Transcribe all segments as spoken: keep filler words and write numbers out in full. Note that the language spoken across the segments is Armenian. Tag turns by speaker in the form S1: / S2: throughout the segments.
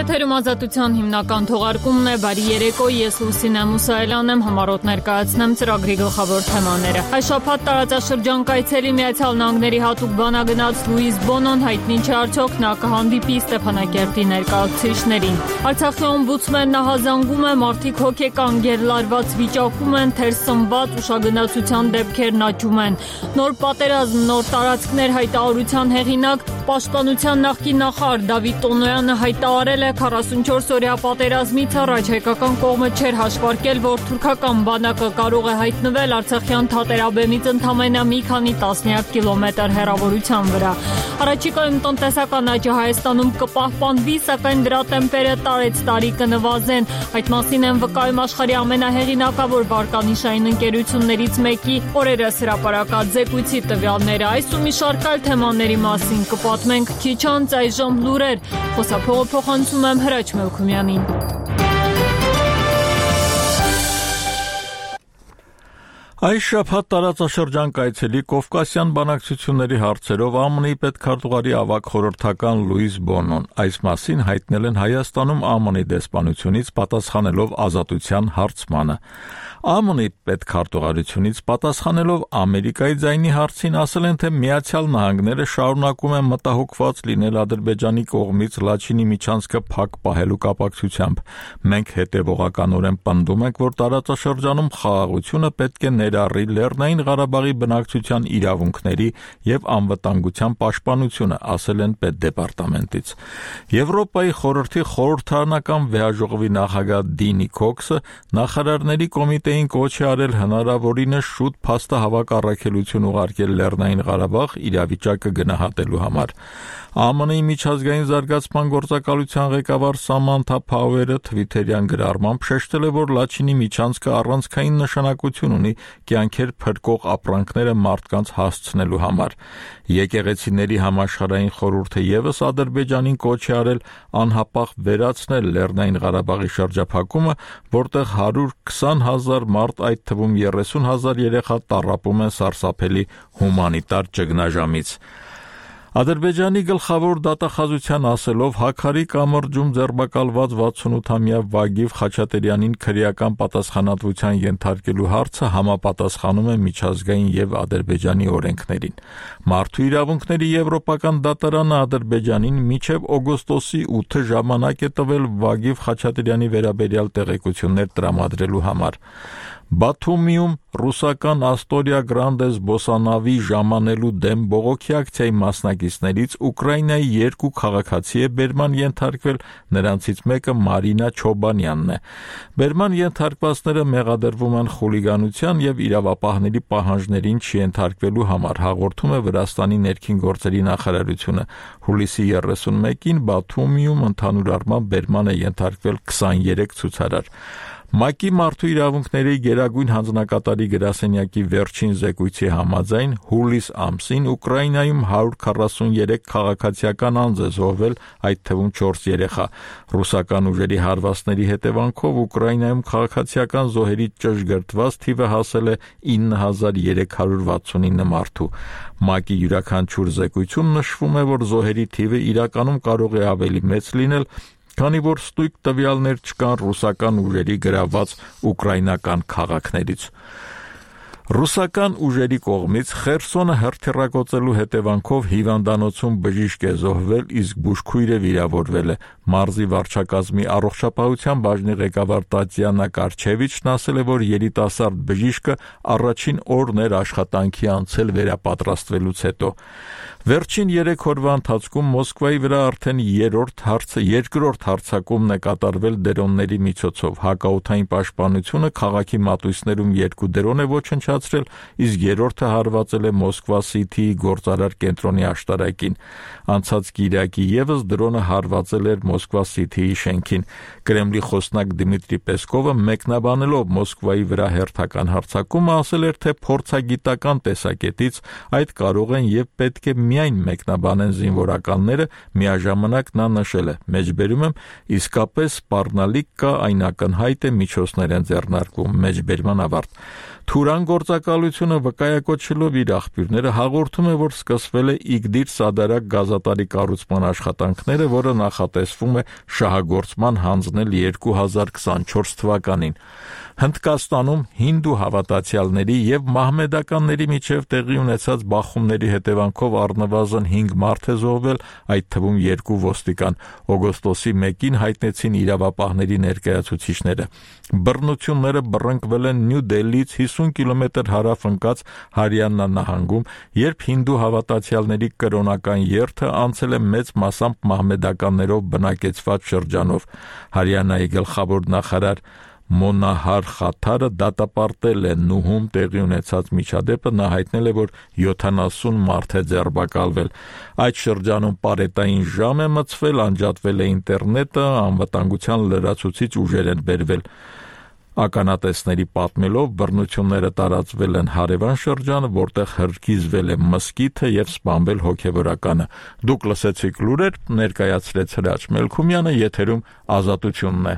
S1: Եթերում ազատության հիմնական թողարկումն է, բարի երեկո, ես Լուսինե Մուսայելյան եմ, համառոտ ներկայացնեմ ծրագրի գլխավոր թեմաները։ Այս շաբաթ տարածաշրջան կայցելի Միացյալ Նահանգների հատուկ բանագնաց Լուիս Բոնոն հայտնի չէ արդյոք նա կհանդիպի Ստեփանակերտի ներկայացուցիչներին։ Արցախի օմբուդսմենն ահազանգում է, մարդիկ հոգեկան գերլարված վիճակում են, թերսնված ուշագնացության դեպքերն աճում են։ Նոր պատերազմ, նոր տարածքներ հայտարարության հեղինակ Պաշտպանության նախկին նախարար Դավիթ Տոնոյանը հայտարարել է քառասունչորս-օրյա պատերազմից առաջ հայկական կողմը չէր հաշվարկել, որ թուրքական բանակը կարող է հայտնվել Արցախյան թատերաբեմից ընդամենը մի քանի տասնյակ կիլոմետր հեռավորության վրա։ Առաջիկայում տնտեսական աճը Հայաստանում կպահպանվի, սակայն դրա տեմպերը տարեց տարի կնվազեն։ Այդ մասին են վկայում աշխարհի ամենահեղինակավոր վարկանիշային ընկերություններից մեկի օրերս հրապարակած զեկույցի տվյալները։ Այս ու մի շարք այլ թեմաների մասին կպատմենք քիչ անց, այժմ լուրեր։ Խոսափողը փոխանցում եմ Հրաչ Մելքումյանին։
S2: Այս շաբաթ տարածաշրջան կայցելի Կովկասյան բանակցությունների հարցերով ԱՄՆ-ի պետքարտուղարի ավագ խորհրդական Լուիս Բոնոն այս մասին հայտնել են Հայաստանում ԱՄՆ-ի դեսպանությունից պատասխանելով ազատության հարցմանը։ ԱՄՆ-ի պետքարտուղարությունից պատասխանելով Ամերիկայի ձայնի հարցին ասել են, թե Միացյալ Նահանգները շարունակում են մտահոգված լինել Ադրբեջանի կողմից Լաչինի միջանցքը փակ պահելու կապակցությամբ։ Մենք հետևողականորեն պնդում ենք, որ տարածաշրջանում խաղաղությունը պետք է ներառի Լեռնային Ղարաբաղի բնակչության իրավունքների եւ անվտանգության պաշտպանությունը, ասել են պետդեպարտամենտից։ Եվրոպայի խորհրդի խորհրդարանական վեհաժողովի նախագահ Դինի Քոքսը նախարարների կոմիտեին կոչ է արել հնարավորինս շուտ փաստահավաք առաքելություն ուղարկել Լեռնային Ղարաբաղ իրավիճակը գնահատելու համար։ ԱՄՆ-ի միջազգային զարգացման գործակալության ղեկավար Սամանթա Փաուերը թվիթերյան գրառմամբ շեշտել է, որ Լաչինի միջանցքը առանցքային նշանակություն ունի կյանքեր փրկող ապրանքները մարդկանց հասցնելու համար։ Եկեղեցիների համաշխարհային խորհուրդը եւս Ադրբեջանին կոչ է արել անհապաղ վերացնել Լեռնային Ղարաբաղի շրջափակումը, որտեղ հարյուր քսան հազար մարդ, այդ թվում երեսուն հազար երեխա տառապում են սարսափելի հումանիտար ճգնաժամից։ Ադրբեջանի գլխավոր դատախազության ասելով Հաքարի կամրջում ձերբակալված վաթսունութամյա Վագիվ Խաչատրյանին քրեական պատասխանատվության ենթարկելու հարցը համապատասխանում է միջազգային եւ Ադրբեջանի օրենքներին։ Մարդու իրավունքների եվրոպական դատարանը Ադրբեջանին մինչև օգոստոսի ութը ժամանակ է տվել Վագիվ Խաչատրյանի վերաբերյալ տեղեկություններ տրամադրելու համար։ Բաթումիում ռուսական Աստորիա Գրանդես Բոսանավի ժամանելու դեմ բողոքի ակցիայի մասնակիցներից Ուկրաինայի երկու քաղաքացի է բերման ենթարկվել, նրանցից մեկը Մարինա Չոբանյանն է։ Բերման ենթարկվածները մեղադրվում են խուլիգանության եւ իրավապահների պահանջներին չենթարկվելու համար, հաղորդում է Վրաստանի ներքին գործերի նախարարությունը։ Հուլիսի երեսունմեկին Բաթումիում ընդհանուր առմամբ բերման է ենթարկվել քսաներեք ցուցարար։ ՄԱԿ-ի մարդու իրավունքների գերագույն հանձնակատարի գրասենյակի վերջին զեկույցի համաձայն հուլիս ամսին Ուկրաինայում հարյուր քառասուներեք քաղաքացիական անձ է զոհվել, այդ թվում չորս երեխա։ Ռուսական ուժերի հարվածների հետևանքով Ուկրաինայում քաղաքացիական զոհերի ճշգրտված թիվը հասել է ինը հազար երեք հարյուր վաթսունինը մարդու։ ՄԱԿ-ի յուրաքանչյուր զեկույցում նշվում է, որ զոհերի թիվը իրականում կարող է ավելի մեծ լինել, քանի որ ստույգ տվյալներ չկան ռուսական ուժերի գրաված ուկրաինական քաղաքներից։ Ռուսական ուժերի կողմից Խերսոնը հրթիռակոծելու հետևանքով հիվանդանոցում բժիշկ է զոհվել, իսկ բուժքույրը վիրավորվել է։ Մարզի վարչակազմի առողջապահության բաժնի ղեկավար Տատյանա Կարչևիչն ասել է, որ երիտասարդ բժիշկը առաջին օրն էր աշխատանքի անցել վերապատրաստվելուց հետո։ Վերջին երեք օրվա ընթացքում Մոսկվայի վրա արդեն երրորդ հարցը երկրորդ հարձակումն է կատարվել դրոնների միջոցով։ Հակաօդային պաշտպանությունը քաղաքի մատույցներում երկու դրոն է ոչնչացրել, իսկ երրորդը հարվածել է Մոսկվա Սիթիի գործարար կենտրոնի աշտարակին։ Անցած կիրակի եւս դրոնը հարվածել էր Մոսկվա Սիթիի շենքին։ Կրեմլի խոսնակ Դմիտրի Պեսկովը մեկնաբանելով Մոսկվայի վրա հերթական հարձակումը ասել էր, թե փորձագիտական տեսակետից այդ կարող են եւ պետք է միայն մեկնաբանեն զինվորականները, միաժամանակ նա նշել է. մեջբերում եմ, իսկապես սպառնալիք կա, այն ակնհայտ է, միջոցներ են ձեռնարկվում, մեջբերման ավարտ։ Թուրան գործակալությունը վկայակոչելով իր աղբյուրները հաղորդում է, որ սկսվել է Իգդիր Սադարակ գազատարի կառուցման աշխատանքները, որը նախատեսվում մտածվում է շահագործման հանձնել երկու հազար քսանչորս թվականին։ Հնդկաստանում հինդու հավատացյալների եւ մահմեդականների միջև տեղի ունեցած բախումների հետևանքով առնվազն հինգ մարդ է զոհվել, այդ թվում երկու ոստիկան։ Օգոստոսի մեկին հայտնեցին իրավապահների ներկայացուցիչները։ Բռնությունները բռնկվել են Նյու Դելիից հիսուն կիլոմետր հարավ ընկած Հարիանա նահանգում, երբ հինդու հավատացյալների կրոնական երթը անցել է մեծ մասամբ մահմեդականներով բնակեցված շրջանով։ Հարիանայի գլխավոր նախարար Մոնահար Խաթարը դատապարտել է Նուհում տեղի ունեցած միջադեպը, նա հայտնել է, որ յոթանասուն մարդ է ձերբակալվել։ Այդ շրջանում պարետային ժամ է մցվել, անջատվել է ինտերնետը, անվտանգության լրացուցիչ ուժեր են բերվել։ Ականատեսների պատմելով բռնությունները տարածվել են հարևան շրջանը, որտեղ հրկիզվել է մզկիթը եւ սպանվել հոգեվորականը։ Դուք լսեցիք լուրեր, ներկայացրեց Հրաչ Մելքումյանը, եթերում Ազատությունն է։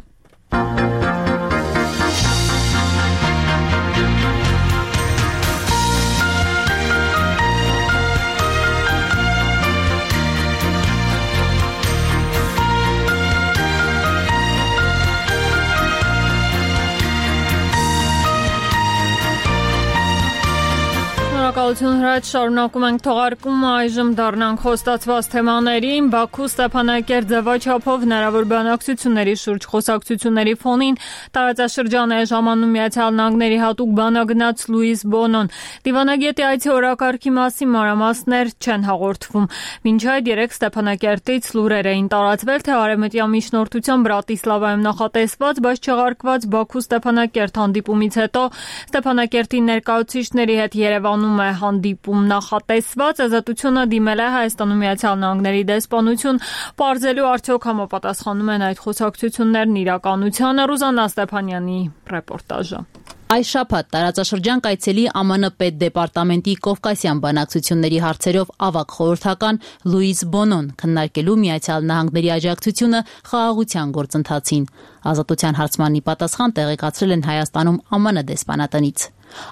S1: Շնորհակալություն Հրաչ, շարունակում ենք թողարկումը, այժմ դառնանք խոստացված թեմաներին։ Բաքու Ստեփանակերտ ձևաչափով հնարավոր բանակցությունների շուրջ խոսակցությունների ֆոնին տարածաշրջան է ժամանում Միացյալ Նահանգների հատուկ բանագնաց Լուիս Բոնոն։ Դիվանագետի այցի օրակարգի մասին մանրամասներ չեն հաղորդվում։ Մինչ այդ երեք Ստեփանակերտից լուրեր էին տարածվել, թե արևմտյան միջնորդությամբ Բրատիսլավայում նախատեսված, բայց չեղարկված Բաքու Ստեփանակերտ հանդիպումից հետո Ստեփանակերտի ներկայացուցիչների հետ Երևանում է հանդիպում նախատեսված։ Ազատությունը դիմել է Հայաստանում Միացյալ Նահանգների դեսպանություն, պարզելու արդյոք համապատասխանում են այդ խոսակցություններն իրականությանը։ Ռուզաննա Ստեփանյանի ռեպորտաժը։
S3: Այս շաբաթ տարածաշրջան կայցելի ԱՄՆ պետդեպարտամենտի Կովկասյան բանակցությունների հարցերով ավագ խորհրդական Լուիս Բոնոն քննարկելու Միացյալ Նահանգների աջակցությունը խաղաղության գործընթացին։ Ազատության հարցմանի պատասխան տեղեկացրել են Հայաստանում ԱՄՆ դեսպանատնից։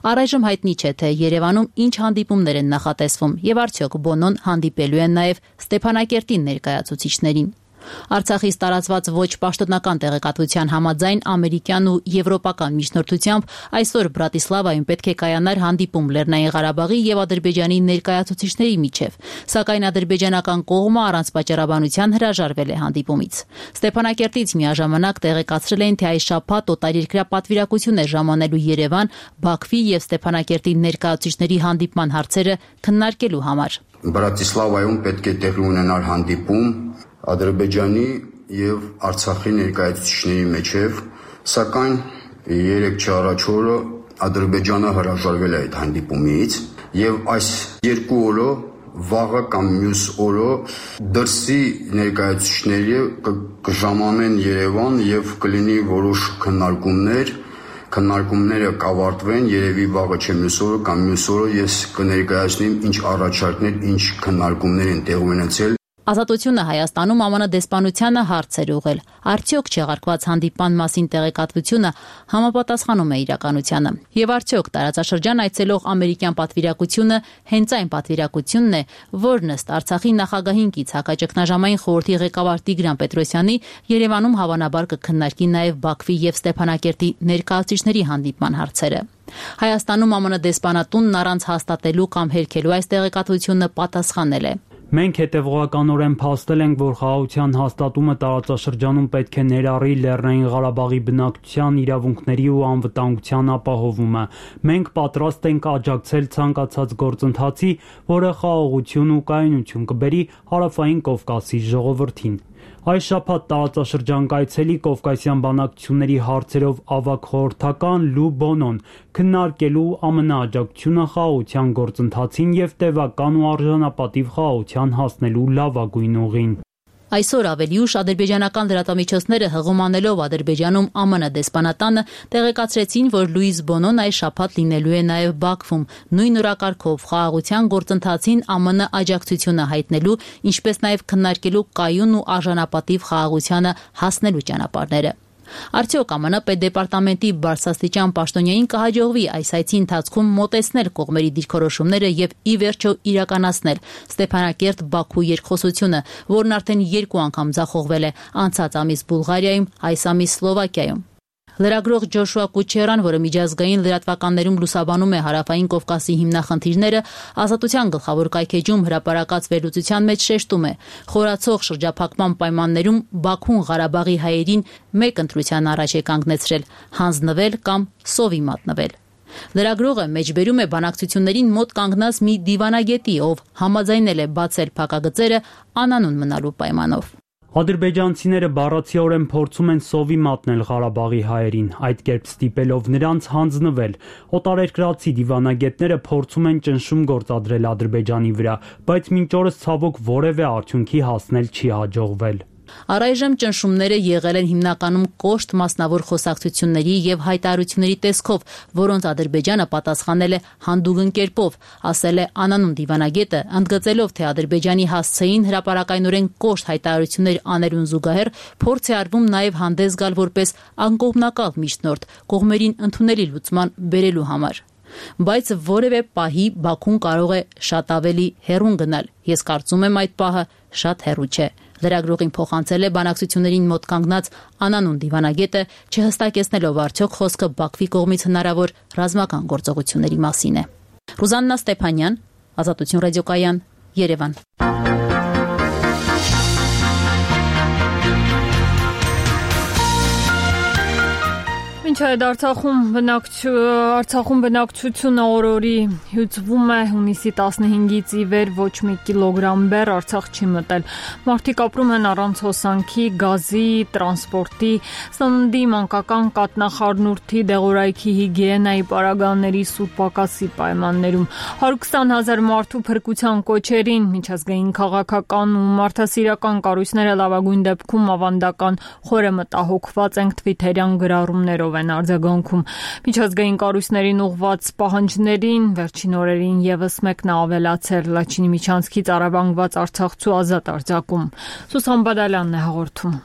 S3: Առայժմ հայտնի չէ, թե Երևանում ինչ հանդիպումներ են նախատեսվում եւ արդյոք Բոնոն հանդիպելու են նաեւ Ստեփանակերտի ներկայացուցիչներին։ Արցախից տարածված ոչ պաշտոնական տեղեկատվության համաձայն ամերիկյան ու եվրոպական միջնորդությամբ այսօր Բրատիսլավայում պետք է կայանար հանդիպում Լեռնային Ղարաբաղի եւ Ադրբեջանի ներկայացուցիչների միջև, սակայն ադրբեջանական կողմը առանց պատճառաբանության հրաժարվել է հանդիպումից։ Ստեփանակերտից միաժամանակ տեղեկացրել էին, թե այս շաբաթ օտարերկրյա պատվիրակություն է ժամանելու Երևան, Բաքվի եւ Ստեփանակերտի ներկայացուցիչների հանդիպման հարցերը քննարկելու համար։
S4: Բրատիսլավայում պետք է տեղի ունենալ հանդիպում Ադրբեջանի եւ Արցախի ներկայացուցիչների միջև, սակայն երեք չառաջ օրը Ադրբեջանը հրաժարվել է այդ հանդիպումից եւ այս երկու օրը վաղը կամ մյուս օրը դրսի ներկայացուցիչները կժամանեն Երևան եւ կլինի որոշ քննարկումներ, քննարկումները կավարտվեն երևի վաղը չէ մյուս օրը կամ մյուս օրը ես կներկայացնեմ ինչ առաջարկներ, ինչ քննարկումներ են տեղի ունեցել։
S3: Ազատությունը Հայաստանում ԱՄՆ դեսպանությանը հարց էր ուղղել. արդյոք չեղարկված հանդիպման մասին տեղեկատվությունը համապատասխանում է իրականությանը։ Եվ արդյոք տարածաշրջան այցելող ամերիկյան պատվիրակությունը հենց այն պատվիրակությունն է, որն ըստ Արցախի նախագահին կից հակաճգնաժամային խորհրդի ղեկավար Տիգրան Պետրոսյանի Երևանում հավանաբար կքննարկի նաև Բաքվի եւ Ստեփանակերտի ներկայացուցիչների հանդիպման հարցերը։ Հայաստանում ԱՄՆ դեսպանատունն առանց հաստատելու կամ հերքելու այս տեղեկատվությունը պատասխանել է.
S5: Մենք հետևողականորեն փաստել ենք, որ խաղաղության հաստատումը տարածաշրջանում պետք է ներառի Լեռնային Ղարաբաղի բնակչության իրավունքների ու անվտանգության ապահովումը։ Մենք պատրաստ ենք աջակցել ցանկացած գործընթացի, որը խաղաղություն ու կայունություն կբերի Հարավային Կովկասի ժողովրդին։ Այս շաբաթ տարածաշրջան կայցելի Կովկասյան բանակցությունների հարցերով ավագ խորհրդական Լու Բոնոն քննարկելու ԱՄՆ աջակցությունը խաղաղության գործընթացին եւ տևական ու արժանապատիվ խաղաղության հասնելու լավագույն ուղին։ Այսօր ավելի ուշ ադրբեջանական լրատվամիջոցները հղումանելով Ադրբեջանում ԱՄՆ դեսպանատանը տեղեկացրեցին, որ Լուիս Բոնոն այս շաբաթ լինելու է նաև Բաքվում, նույն օրակարգով խաղաղության գործընթացին ԱՄՆ աջակցությունը հայտնելու, ինչպես նաև քննարկելու կայուն ու արժանապատիվ խաղաղությանը հասնելու ճանապարհները։
S3: Արդյոք Է Մ Ն պետդեպարտամենտի բարձրաստիճան պաշտոնյային կհաջողվի այս այցի ընթացքում մոտեցնել կողմերի դիրքորոշումները եւ ի վերջո իրականացնել Ստեփանակերտ-Բաքու երկխոսությունը, որն արդեն երկու անգամ ձախողվել է անցած ամիս Բուլղարիայում, այս ամիս Սլովակիայում։ Լրագրող Ջոշուա Կուչերան, որը միջազգային լրատվականներում լուսաբանում է Հարավային Կովկասի հիմնախնդիրները, Ազատության գլխավոր կայքեջում հրապարակած վերլուծության մեջ շեշտում է. խորացող շրջափակման պայմաններում Բաքուն Ղարաբաղի հայերին մեկ ընտրության առաջ է կանգնեցրել՝ հանձնվել կամ սովի մատնվել։ Լրագրողը մեջբերում է բանակցություններին մոտ կանգնած մի դիվանագետի, ով համաձայնել է բացել փակագծերը անանուն մնալու պայմանով։
S5: Ադրբեջանցիները բառացիորեն փորձում են սովի մատնել Ղարաբաղի հայերին, այդ կերպ ստիպելով նրանց հանձնվել։ Օտարերկրացի դիվանագետները փորձում են ճնշում գործադրել Ադրբեջանի վրա, բայց մինչ օրս ցավոք որևէ արդյունքի հասնել չի հաջողվել։
S3: Առայժմ ճնշումները եղել են հիմնականում կոշտ մասնավոր խոսակցությունների եւ հայտարարությունների տեսքով, որոնց Ադրբեջանը պատասխանել է հանդուգն կերպով, ասել է անանուն դիվանագետը, ընդգծելով, թե Ադրբեջանի հասցեին հրապարակայնորեն կոշտ հայտարարություններ աներուն զուգահեռ փորձ է արվում նաեւ հանդես գալ որպես անկողմնակալ միջնորդ կողմերին ընդունելի լուծման բերելու համար։ Բայց որևէ պահի Բաքուն կարող է շատ ավելի հեռուն գնալ։ Ես կարծում եմ այդ պահը շատ հեռու չէ։ Լրագրողին փոխանցել է բանակցություններին մոտ կանգնած անանուն դիվանագետը, չհստակեցնելով արդյոք խոսքը Բաքվի կողմից հնարավոր ռազմական գործողությունների մասին է։ Ռուզաննա Ստեփանյան, Ազատություն ռադիոկայան, Երևան։
S1: Ինչ այդ Արցախում Արցախում բնակչությունը օրորի հյուծվում է հունիսի տասնհինգից ի վեր ոչ մի կիլոգրամ բեռ Արցախ չի մտել։ Մարդիկ ապրում են առանց հոսանքի, գազի, տրանսպորտի, սննդի, մանկական կաթնախառնուրդի, դեղորայքի հիգիենայի պարագաների սուրպակասի պայմաններում։ հարյուր քսան հազար մարդու փրկության կոչերին միջազգային քաղաքական ու մարդասիրական կառույցները լավագույն դեպքում ավանդական խորը մտահոգված ենք թվիթերյան գրառումներով են արձագանքում։ Միջազգային կառույցներին ուղղված պահանջներին վերջին օրերին եւս մեկն է ավելացել Լաչինի միջանցքից առևանգված արցախցու ազատ արձակում։ Սուսան Բադալյանն է հաղորդում։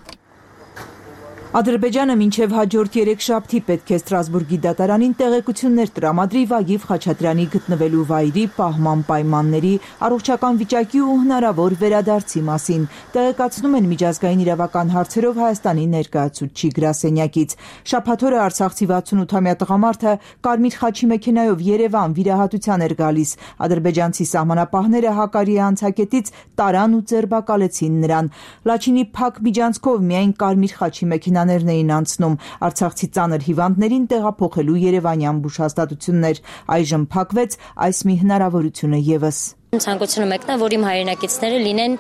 S6: Ադրբեջանը մինչև հաջորդ երեքշաբթի պետք է Ստրասբուրգի դատարանին տեղեկություններ տրամադրի Վագիվ Խաչատրյանի գտնվելու վայրի, պահման պայմանների, առողջական վիճակի ու հնարավոր վերադարձի մասին, տեղեկացնում են միջազգային իրավական հարցերով Հայաստանի ներկայացուցիչ գրասենյակից։ Շաբաթ օրը արցախցի վաթսունութամյա տղամարդը կարմիր խաչի մեքենայով Երևան վիրահատության էր գալիս։ Ադրբեջանցի սահմանապահները Հակարիի անցակետից տարան ու ձերբակալեցին նրան։ Լաչինի փակ միջանցքով միայն կարմիր խաչի մեքենա էին անցնում արցախցի ծանր հիվանդներին տեղափոխելու երևանյան բուժհաստատություններ։ Այժմ փակվեց այս մի հնարավորությունը եւս։
S7: Ցանկությունը մեկն է, որ իմ հայրենակիցները լինեն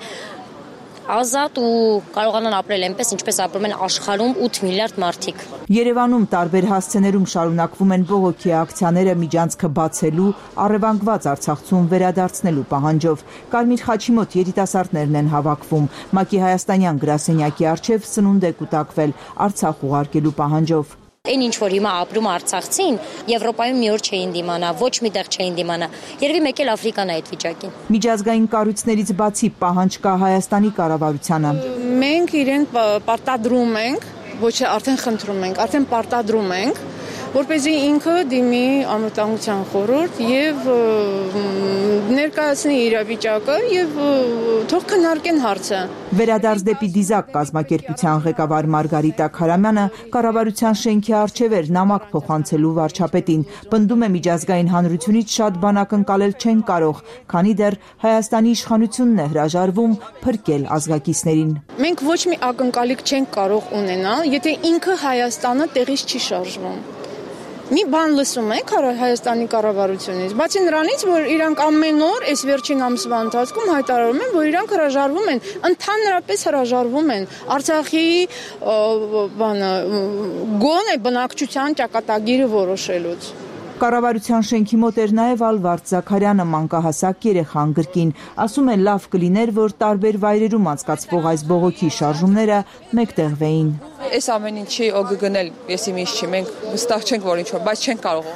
S7: ազատ ու կարողանան ապրել այնպես, ինչպես ապրում են աշխարհում ութ միլիարդ մարդիկ։
S6: Երևանում տարբեր հասցեներում շարունակվում են բողոքի ակցիաները միջանցքը բացելու, առևանգված Արցախցուն վերադարձնելու պահանջով։ Կարմիր խաչի մոտ երիտասարդներն են հավաքվում։ ՄԱԿ-ի հայաստանյան գրասենյակի առջև սնունդ է կուտակվել Արցախ ուղարկելու պահանջով։
S7: Այն ինչ որ հիմա ապրում Արցախցին, Եվրոպայում մի օր չէին դիմանա, ոչ մի տեղ չէին դիմանա։ Երևի մեկ էլ Աֆրիկան է այդ վիճակին։
S6: Միջազգային կառույցներից բացի պահանջ կա Հայաստանի կառավարությանը։
S8: Մենք իրենք պարտադրում ենք, ոչ արդեն խնդրում ենք, արդեն պարտադրում ենք, որպեսզի ինքը դիմի անվտանգության խորհուրդ եւ ներկայացնի իրավիճակը եւ թող քննարկեն հարցը։
S6: Վերադարձ դեպի Դիզակ կազմակերպության ղեկավար Մարգարիտա Քարամյանը կառավարության շենքի առջև էր նամակ փոխանցելու վարչապետին, պնդում է միջազգային հանրությունից շատ բան ակնկալել չեն կարող, քանի դեռ Հայաստանի իշխանությունն է հրաժարվում փրկել ազգակիցներին։
S8: Մենք ոչ մի ակնկալիք չենք կարող ունենալ, եթե ինքը Հայաստանը տեղից չի շարժվում։ Մի բան լսում եք Հայաստանի կառավարությունից, բացի նրանից, որ իրանք ամեն օր այս վերջին ամսվա ընթացքում հայտարարում են, որ իրանք հրաժարվում են, ընդհանրապես հրաժարվում են Արցախի բանը գոնե բնակչության ճակատագիրը որոշելուց։
S6: Կառավարության շենքի մոտ էր նաև Ալվարդ Զաքարյանը, մանկահասակ երեխան գրքին, ասում է լավ կլիներ, որ տարբեր վայրերում անցկացվող այս բողոքի շարժումները մեկտեղվեին։
S9: Այս ամեն ինչի օգը գնել, ես իմ ինչ չի, մենք վստահ չենք, որ ինչ որ, բայց չենք կարող։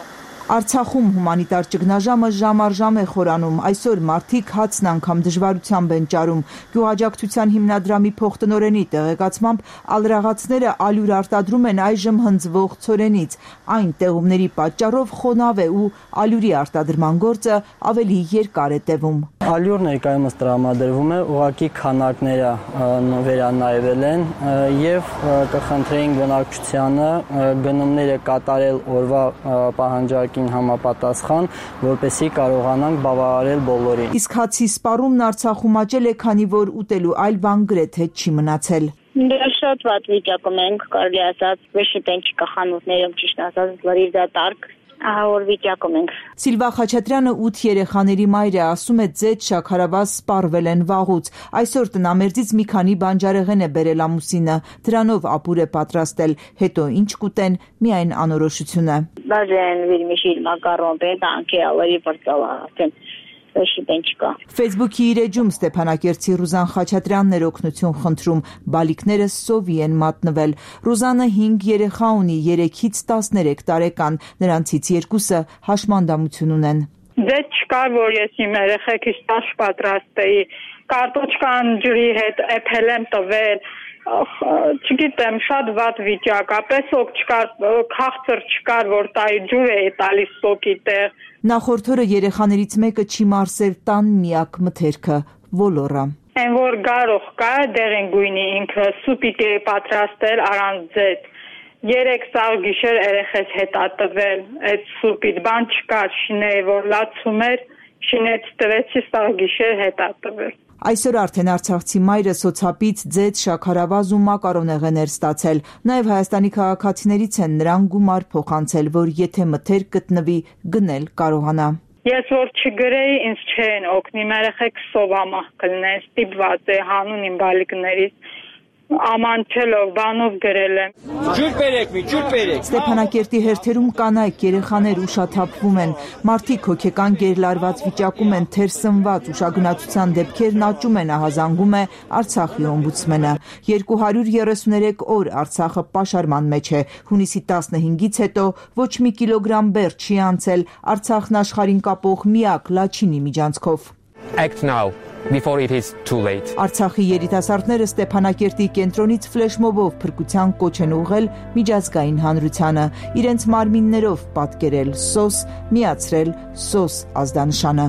S6: Արցախում հումանիտար ճգնաժամը ժամ առ ժամ է խորանում, այսօր մարդիկ հացն անգամ դժվարությամբ են ճարում։ Գյուղաճակցության հիմնադրամի փոխտնօրենի տեղեկացմամբ ալրաղացները ալյուր արտադրում են այժմ հնձվող ցորենից։ Այն տեղումների պատճառով խոնավ է ու ալյուրի արտադրման գործը ավելի երկար է տևում։
S9: Ալյուր ներկայումս տրամադրվում է, ուղղակի քանակները վերանայվել են եւ կխնդրեինք բնակչությանը գնումները կատարել օրվա պահանջարկին համապատասխան, որպեսզի կարողանանք բավարարել բոլորին։
S6: Իսկ հացի սպառումն Արցախում աճել է, քանի որ ուտելու այլ բան գրեթե չի մնացել։
S10: Դե շատ վատ վիճակում ենք, կարելի ասած, վեշտեն չկա խանութներում, ճիշտ ասած, լրիվ դատարկ։ Ահավոր վիճակում ենք։
S6: Սիլվա Խաչատրյանը ութ երեխաների մայր է, ասում է ձեթ շաքարավազ սպառվել են վաղուց։ Այսօր տնամերձից մի քանի բանջարեղեն է բերել ամուսինը, դրանով ապուր է պատրաստել, հետո ինչ կուտեն, միայն անորոշությունը։
S10: Բաժեն վիրմիշիլ մակարոն պետանքի ալերի պրծալա։
S6: Facebook-ի իր էջում Ստեփանակերտցի Ռուզան Խաչատրյանն էր օգնություն խնդրում, բալիկները սովի են մատնվել։ Ռուզանը հինգ երեխա ունի, երեքից տասներեք տարեկան, նրանցից երկուսը հաշմանդամություն ունեն։
S11: Ձեթ չկար, որ ես իմ երեխեքից տաշ պատրաստեի, կարտոչկան ջրի հետ էփել եմ տվել, չգիտեմ, շատ վատ վիճակ, ապես օգ չկար, քաղցր չկար, որ տայի ջուր էի տալիս սոկի տեղ։
S6: Նախորդ օրը երեխաներից մեկը չի մարսել տան միակ մթերքը՝ ոլորը։
S11: Այն որ գարող կա, դեղին գույնի ինքը սուպիտի է պատրաստել առանց ձեթ։ Երեք սաղ գիշեր երեխես հետա տվել, այդ սուպիտ բան չկար, շիների որ լացում էր, շինեց տվեցի սաղ գիշեր հետա տվել։
S6: Այսօր արդեն Արցախցի մայրը սոցապից ձեթ, շաքարավազ ու մակարոնեղեն էր ստացել։ Նաև Հայաստանի քաղաքացիներից են նրան գումար փոխանցել, որ եթե մթերք գտնվի, գնել կարողանա։
S11: Ես որ չգրեի, ինձ չեն օգնի, երեխեք սովամահ կլինեն, ստիպված է հանուն իմ բալիկներից։ Ամանչելով, բանով գրել եմ։
S12: Ջուր բերեք, մի ջուր բերեք։
S6: Ստեփանակերտի հերթերում կանայք, երեխաներ ուշաթափվում են։ Մարդիկ հոգեկան գերլարված վիճակում են, թերսնված, ուշագնացության դեպքերն աճում են, ահազանգում է Արցախի օմբուդսմենը։ երկու հարյուր երեսուներեք օր Արցախը պաշարման մեջ է։ Հունիսի տասնհինգից հետո ոչ մի կիլոգրամ բեռ չի անցել Արցախն աշխարհին կապող միակ Լաչինի միջանցքով։
S12: Act now. Before it is too late.
S6: Արցախի երիտասարդները Ստեփանակերտի կենտրոնից ֆլեշմոբով փրկության կոչ են ուղղել միջազգային հանրությանը, իրենց մարմիններով պատկերել սոս, միացրել սոս ազդանշանը։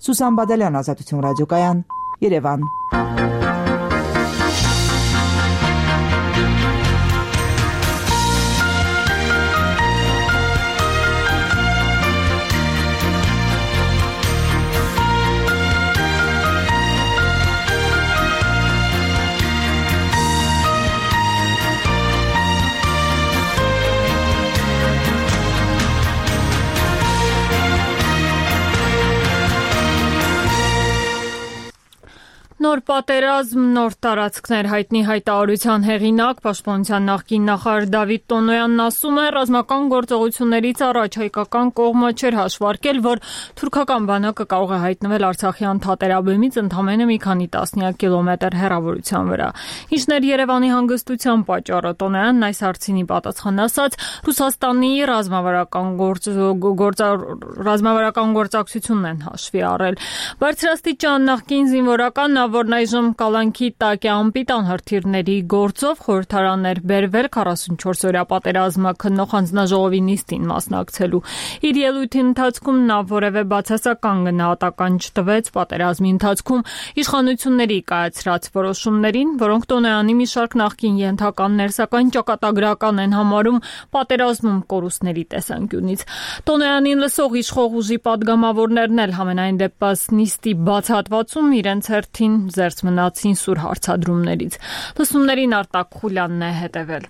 S6: Սուսան Բադալյան, Ազատություն ռադիոկայան, Երևան։
S1: Նոր պատերազմ, նոր տարածքներ հայտնի հայտարարության հեղինակ Պաշտպանության նախկին նախարար Դավիթ Տոնոյանն ասում է, ռազմական գործողություններից առաջ հայկական կողմը չէր հաշվարկել, որ թուրքական բանակը կարող է հայտնվել Արցախի անթատերաբեմից ընդամենը մի քանի տասնյակ կիլոմետր հեռավորության վրա։ Ինչն էր Երևանի հանգստության պատճառը, Տոնոյանն այս հարցին պատասխան ասաց, Ռուսաստանի ռազմավարական ռազմավարական գործակցությունն են հաշվի առել։ Բարձրաստիճան նախկին զինվորական որն այժմ կալանքի տակ է անպիտան հրթիռների գործով խորհրդարաններ բերվել քառասունչորս օրյա պատերազմը քննող հանձնաժողովի նիստին մասնակցելու։ Իր ելույթի ընթացքում նա որևէ բացասական գնահատական չտվեց պատերազմի ընթացքում իշխանությունների կայացրած որոշումներին, որոնք Տոնոյանի մի շարք նախկին ենթականներ, սակայն ճակատագրական են համարում պատերազմում կորուստների տեսանկյունից։ Տոնոյանին լսող իշխող ուժի պատգամավորներն էլ համենայն դեպս նիստի բաց հատվածում իրենց հերթին զերծ մնացին սուր հարցադրումներից։ Լսումներին Արտակ Խուլյանն է հետևել։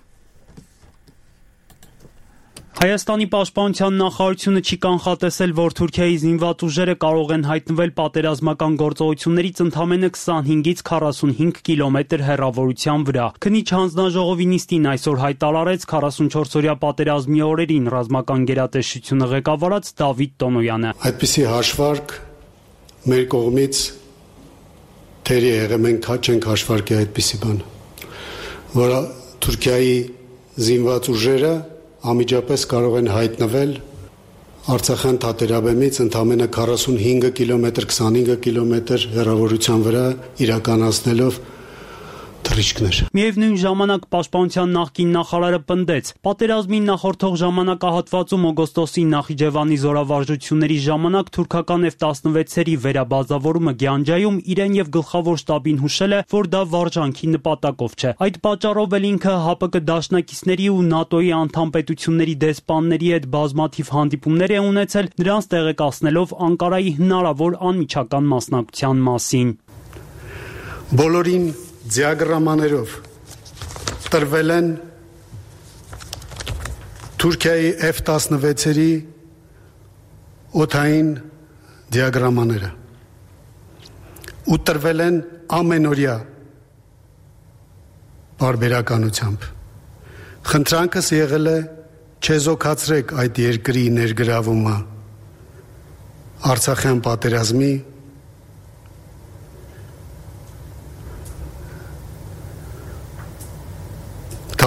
S5: Հայաստանի պաշտպանության նախարարությունը չի կանխատեսել, որ Թուրքիայի զինված ուժերը կարող են հայտնվել պատերազմական գործողություններից ընդամենը քսանհինգից քառասունհինգ կիլոմետր հեռավորության վրա։ Քննիչ հանձնաժողովի նիստին այսօր հայտարարեց քառասունչորս օրյա պատերազմի օրերին ռազմական գերատեսչությունը ղեկավարած Դավիթ Տոնոյանը։
S13: Այդպիսի հաշվարկ մեր կողմից թերի եղել, մենք չենք հաշվարկի այդպիսի բան, որ Թուրքիայի զինված ուժերը անմիջապես կարող են հայտնվել Արցախյան թատերաբեմից ընդամենը քառասունհինգ կիլոմետր, քսանհինգ կիլոմետր հեռավորության վրա իրականացնելով թռիչքներ։
S5: Միևնույն ժամանակ Պաշտպանության նախկին նախարարը պնդեց, պատերազմին նախորդող ժամանակահատվածում օգոստոսի Նախիջևանի զորավարժությունների ժամանակ թուրքական F տասնվեցերի վերաբազավորումը Գյանջայում իրեն եւ գլխավոր շտաբին հուշել է, որ դա վարժանքի նպատակով չէ։ Այդ պատճառով էլ ինքը ՀԱՊԿ դաշնակիցների ու ՆԱՏՕ-ի անդամ պետությունների դեսպանների հետ բազմաթիվ հանդիպումներ է ունեցել, նրանց տեղեկացնելով Անկարայի հնարավոր անմիջական մասնակցության մասին։
S13: Բոլորին դիագրամաներով տրվել են Թուրքիայի F տասնվեցերի օդային դիագրամաները ու տրվել են ամենօրյա բարբերականությամբ։ Խնդրանքս եղել է չեզոքացրեք այդ երկրի ներգրավումը Արցախյան պատերազմի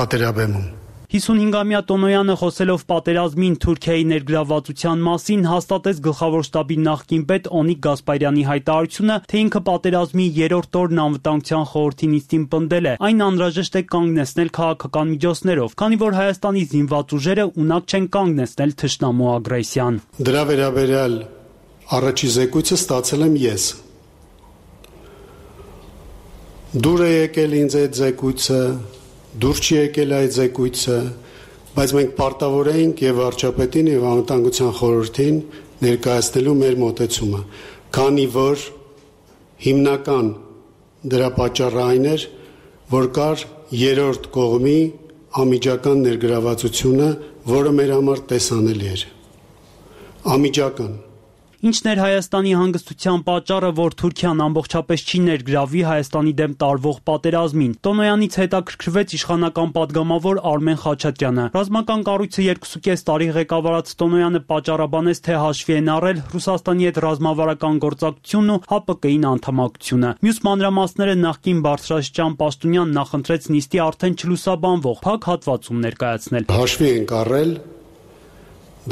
S13: թատերաբեմում։
S5: հիսունհինգամյա Տոնոյանը խոսելով պատերազմին Թուրքիայի ներգրավվածության մասին հաստատեց գլխավոր շտաբի նախկին պետ Օնիկ Գասպարյանի հայտարարությունը, թե ինքը պատերազմի երրորդ օրն անվտանգության խորհրդի նիստին պնդել է, այն անհրաժեշտ է կանգնեցնել քաղաքական միջոցներով, քանի որ Հայաստանի զինված ուժերը ունակ չեն կանգնեցնել թշնամու ագրեսիան։
S13: Դրա վերաբերյալ առաջի զեկույցը ստացել եմ ես։ Դուր է եկել ինձ այդ զեկույցը, դուր չի եկել այդ զեկույցը, բայց մենք պարտավոր էինք եւ վարչապետին եւ անվտանգության խորհրդին ներկայացնելու մեր մոտեցումը, քանի որ հիմնական դրա պատճառը այն էր, որ կար երրորդ կողմի անմիջական ներգրավվածությունը, որը մեր համար տեսանելի էր։ Անմիջական։
S5: Ինչն էր Հայաստանի հանգստության պատճառը, որ Թուրքիան ամբողջապես չի ներգրավի Հայաստանի դեմ տարվող պատերազմին։ Տոնոյանից հետաքրքրվեց իշխանական падգամավոր Արմեն Խաչատրյանը։ Ռազմական կառույցը երկուսուկես տարի ղեկավարած Տոնոյանը պատճառաբանեց, թե հաշվի են առել Ռուսաստանի հետ ռազմավարական գործակցությունն ու ՀԱՊԿ-ին անդամակցությունը։ Մյուս մանրամասները նախկին բարձրաստիճան պաշտոնյան նախընտրեց նիստի արդեն չլուսաբանվող փակ հատվածում ներկայացնել։
S13: Հաշվի ենք առել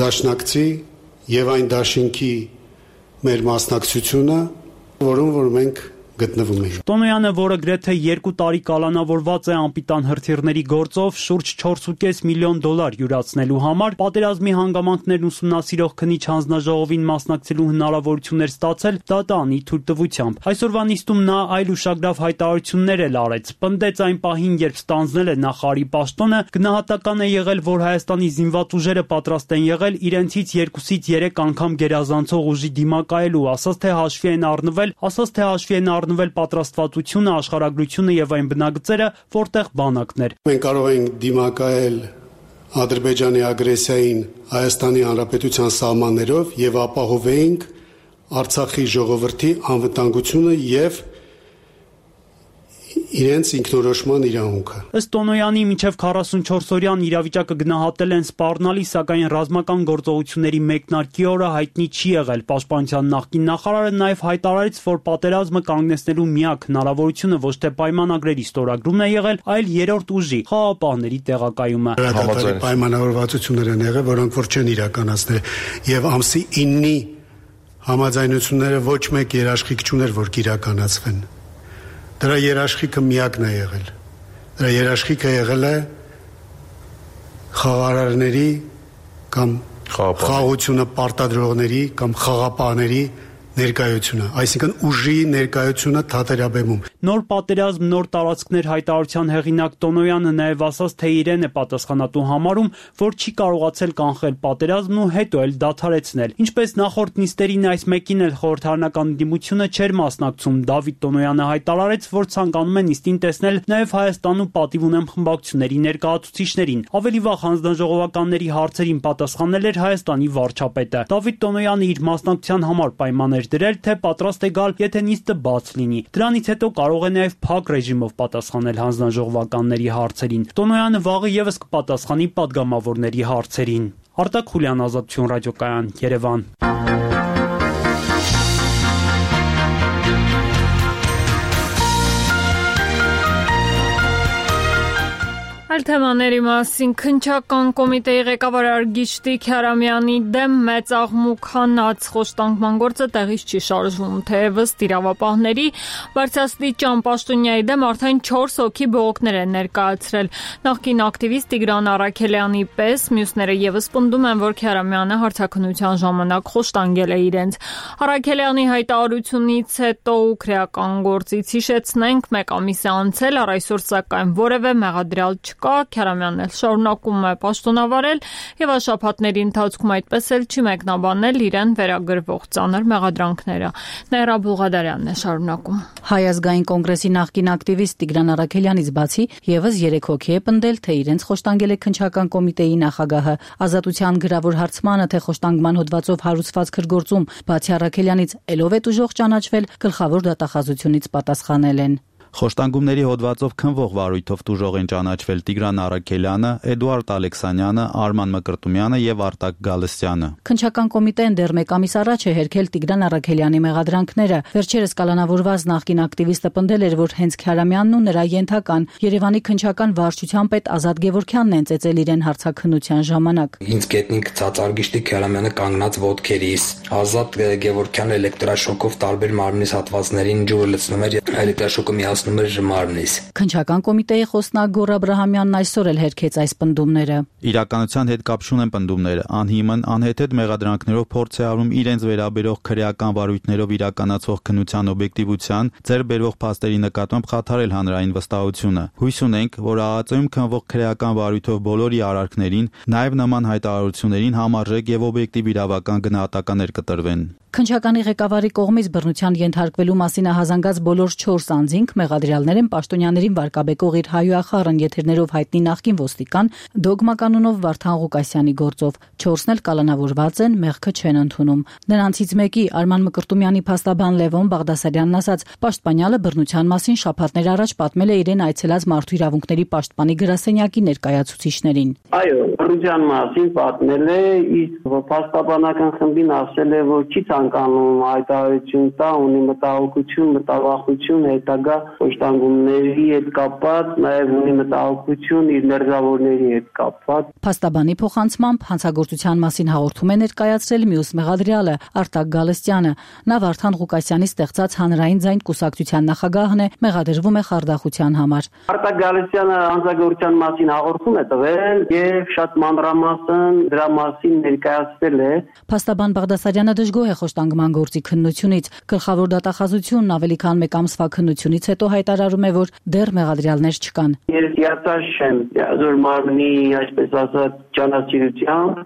S13: դաշնակցի եւ այն դաշինքի մեր մասնակցությունը, որում որ մենք գտնվում ենք։
S5: Տոնոյանը, որը գրեթե երկու տարի կալանավորված է անպիտան հրթիռների գործով շուրջ չորսուկես միլիոն դոլար յուրացնելու համար, պատերազմի հանգամանքներն ուսումնասիրող քննիչ հանձնաժողովին մասնակցելու հնարավորություններ ստացել դատանի թույլտվությամբ։ Այսօրվա նիստում նա այլ ուշագրավ հայտարարություններ էլ արեց։ Պնդեց այն պահին, երբ ստանձնել է նախարարի պաշտոնը, գնահատական է եղել, որ Հայաստանի զինված ուժերը պատրաստ են եղել իրենցից երկուսից երեք անգամ գերազանցող ուժի դիմակայելու, ասաց թե հաշվի են առնվել, ասաց թե հաշվի են առնվել պատրաստվածությունը, աշխարհագրությունը եւ այն բնագծերը, որտեղ բանակներ։
S13: Մենք կարող ենք դիմակայել Ադրբեջանի ագրեսիային Հայաստանի Հանրապետության սահմաններով եւ ապահովեինք Արցախի ժողովրդի անվտանգությունը եւ իրենց ինքնորոշման իրավունքը։
S5: Ըստ Տոնոյանի մինչև քառասունչորսօրյան իրավիճակը գնահատել են սպառնալի, սակայն ռազմական գործողությունների մեկնարկի օրը հայտնի չի եղել։ Պաշտպանության նախկին նախարարը նաև հայտարարեց, որ պատերազմը կանգնեցնելու միակ հնարավորությունը ոչ թե պայմանագրերի ստորագրումն է եղել, այլ երրորդ ուժի՝ խաղաղապահների տեղակայումը։
S13: Համաձայն պայմանավորվածություններ են եղել, որոնք որ չեն իրականացնել, եւ ամսի իննի համաձայնությունները ոչ մեկ երաշխիք չուներ, որ կիրականացվեն։ Դրա երաշխիքը միակն է եղել։ Դրա երաշխիքը եղել է խաղարարների կամ խաղաղությունը պարտադրողների կամ խաղապահների ներկայությունը, այսինքն ուժի ներկայությունը թատերաբեմում։
S5: Նոր պատերազմ, նոր տարածքներ հայտարարության հեղինակ Տոնոյանը նաև ասաց, թե իրեն է պատասխանատու համարում, որ չի կարողացել կանխել պատերազմն ու հետո էլ դադարեցնել։ Ինչպես նախորդ նիստերին, այս մեկին էլ խորհրդարանական դիմությունը չէր մասնակցում։ Դավիթ Տոնոյանը հայտարարեց, որ ցանկանում է նիստին տեսնել նաև Հայաստանում պատիվ ունեմ խմբակցությունների ներկայացուցիչներին։ Ավելի վաղ հանձնաժողովականների հարցերին պատասխանել էր Հայաստանի վարչապետը։ Դավիթ Տոնոյանը իր մասնակցության համար պայմաններ դրել, թե պատրաստ է գալ, եթե նիստը բաց լինի։ Դրանից հետո կարող է նաև փակ ռեժիմով պատասխանել հանձնաժողովականների հարցերին։ Տոնոյանը վաղը եւս կպատասխանի падգամավորների հարցերին։ Արտակ Խուլյան, Ազատություն ռադիոկայան, Երևան։
S1: Այլ թեմաների մասին քննչական կոմիտեի ղեկավար Արգիշտի Քարամյանի դեմ մեծ աղմուկ հանած խոշտանգման գործը տեղից չի շարժվում, թեևս իրավապահների բարձրաստիճան պաշտոնյայի դեմ արդեն չորս հոգի բողոքներ են ներկայացրել։ Նախկին ակտիվիստ Տիգրան Առաքելյանի պես մյուսները ևս պնդում են, որ Քարամյանը հարցաքննության ժամանակ խոշտանգել է իրենց։ Առաքելյանի հայտարարությունից հետո ու քրեական գործից հիշեցնենք, մեկ ամիս է անցել, առ այսօր սակայն որևէ մեղադրյալ չկա, Քարամյանն էլ շարունակում է պաշտոնավարել եւ շաբաթների ընթացքում այդպես էլ չի մեկնաբանել իրեն վերագրվող ծանր մեղադրանքները։ Նեհրա Բուղադարյանն է շարունակում։
S3: Հայ ազգային կոնգրեսի նախկին ակտիվիստ Տիգրան Առաքելյանից բացի եւս երեք հոգի է պնդել, թե իրենց խոշտանգել է քննչական կոմիտեի նախագահը։ Ազատության գրավոր հարցմանը, թե խոշտանգման հոդվածով հարուցված քրգործում բացի Առաքելյանից ելով է ուժող ճանաչվել, գլխավոր դատախազությունից պատասխանել են։
S14: Խոշտանգումների հոդվածով քննվող վարույթով տուժող են ճանաչվել Տիգրան Առաքելյանը, Էդուարդ Ալեքսանյանը, Արման Մկրտումյանը եւ Արտակ Գալստյանը։
S3: Քննչական կոմիտեն դեռ մեկ ամիս առաջ է հերքել Տիգրան Առաքելյանի մեղադրանքները։ Վերջերս կալանավորված նախկին ակտիվիստը պնդել էր, որ հենց Քարամյանն ու նրա ենթական Երևանի քննչական վարչության պետ Ազատ Գևորգյանն են ծեծել իրեն հարցաքննության ժամանակ։
S15: Ինձ գետնիկ ցածարգիշտի Քարամյանը կանգնած ոտքերիս, Ազատ Գևորգյանը էլեկտրաշոկով տարբեր մարմնիս հատվածներին ջուրը լցնում էր, էլեկտրաշոկը միացնում էր մարմնիս։
S3: Քննչական կոմիտեի խոսնակ Գոռ Աբրահամյանն այսօր էլ հերքեց այս պնդումները։
S14: Իրականության հետ կապ չունեն պնդումները, անհիմն, անհեթեթ մեղադրանքներով փորձ է արում իրենց վերաբերող քրեական վարույթներով իրականացող քննության օբյեկտիվության, ձեռ բերվող փաստերի նկատմամբ խաթարել հանրային վստահությունը։ Հույս ունենք, որ ԱԱԾ-ում քննվող քրեական վարույթով բոլորի արարքներին, նաև նման հայտարարություններին համարժեք եւ օբյեկտիվ իրավական գնահատականներ կտրվեն։
S3: Քննչականի ղեկավարի կողմից բռնության ենթարկվելու մասին հազանգած բոլոր չորս անձինք մեղադրյալներ են պաշտոնյաներին վարկաբեկող իր հայուախառն եթերներով հայտնի նախկին ոստիկան Դոգմա կանոնով Վարդան Ղուկասյանի գործով։ Չորսն էլ կալանավորված են, մեղքը չեն ընդունում։ Նրանցից մեկի Արման Մկրտումյանի փաստաբան Լևոն Բաղդասարյանն ասաց, պաշտպանյալը բռնության մասին շաբաթներ առաջ պատմել է իրեն այցելած մարդու իրավունքների պաշտպանի գրասենյակի ներկայացուցիչներին։
S16: Այո, բռնության մասին պատմել է, իսկ փաստաբանական խմբին ասել է, որ չի ցանկանում հայտարարություն տա, ունի մտահոգություն, մտավախություն հետագա խոշտանգումների հետ կապված, նաև ունի մտահոգություն իր մերձավորների հետ կապված։
S3: Փաստաբանի փոխանցմամբ հանցագործության մասին հաղորդում է ներկայացրել մյուս մեղադրյալը Արտակ Գալստյանը։ Նա Վարդան Ղուկասյանի ստեղծած հանրային ձայն կուսակցության նախագահն է, մեղադրվում է խարդախության համար։
S16: Արտակ Գալստյանը հանցագործության մասին հաղորդում է տվել եւ շատ մանրամասն դրա մասին ներկայացրել է։
S3: Փաստաբան Բաղդասարյանը դժգոհ է խոշտանգման գործի քննությունից։ Գլխավոր դատախազությունն ավելի քան մեկ ամսվա քննությունից հետո հայտարարում է, որ դեռ մեղադրյալներ չկան։
S16: Ես հիացած չեմ Ազոր մարմնի, այսպես ասած, ճանաչելիությամբ,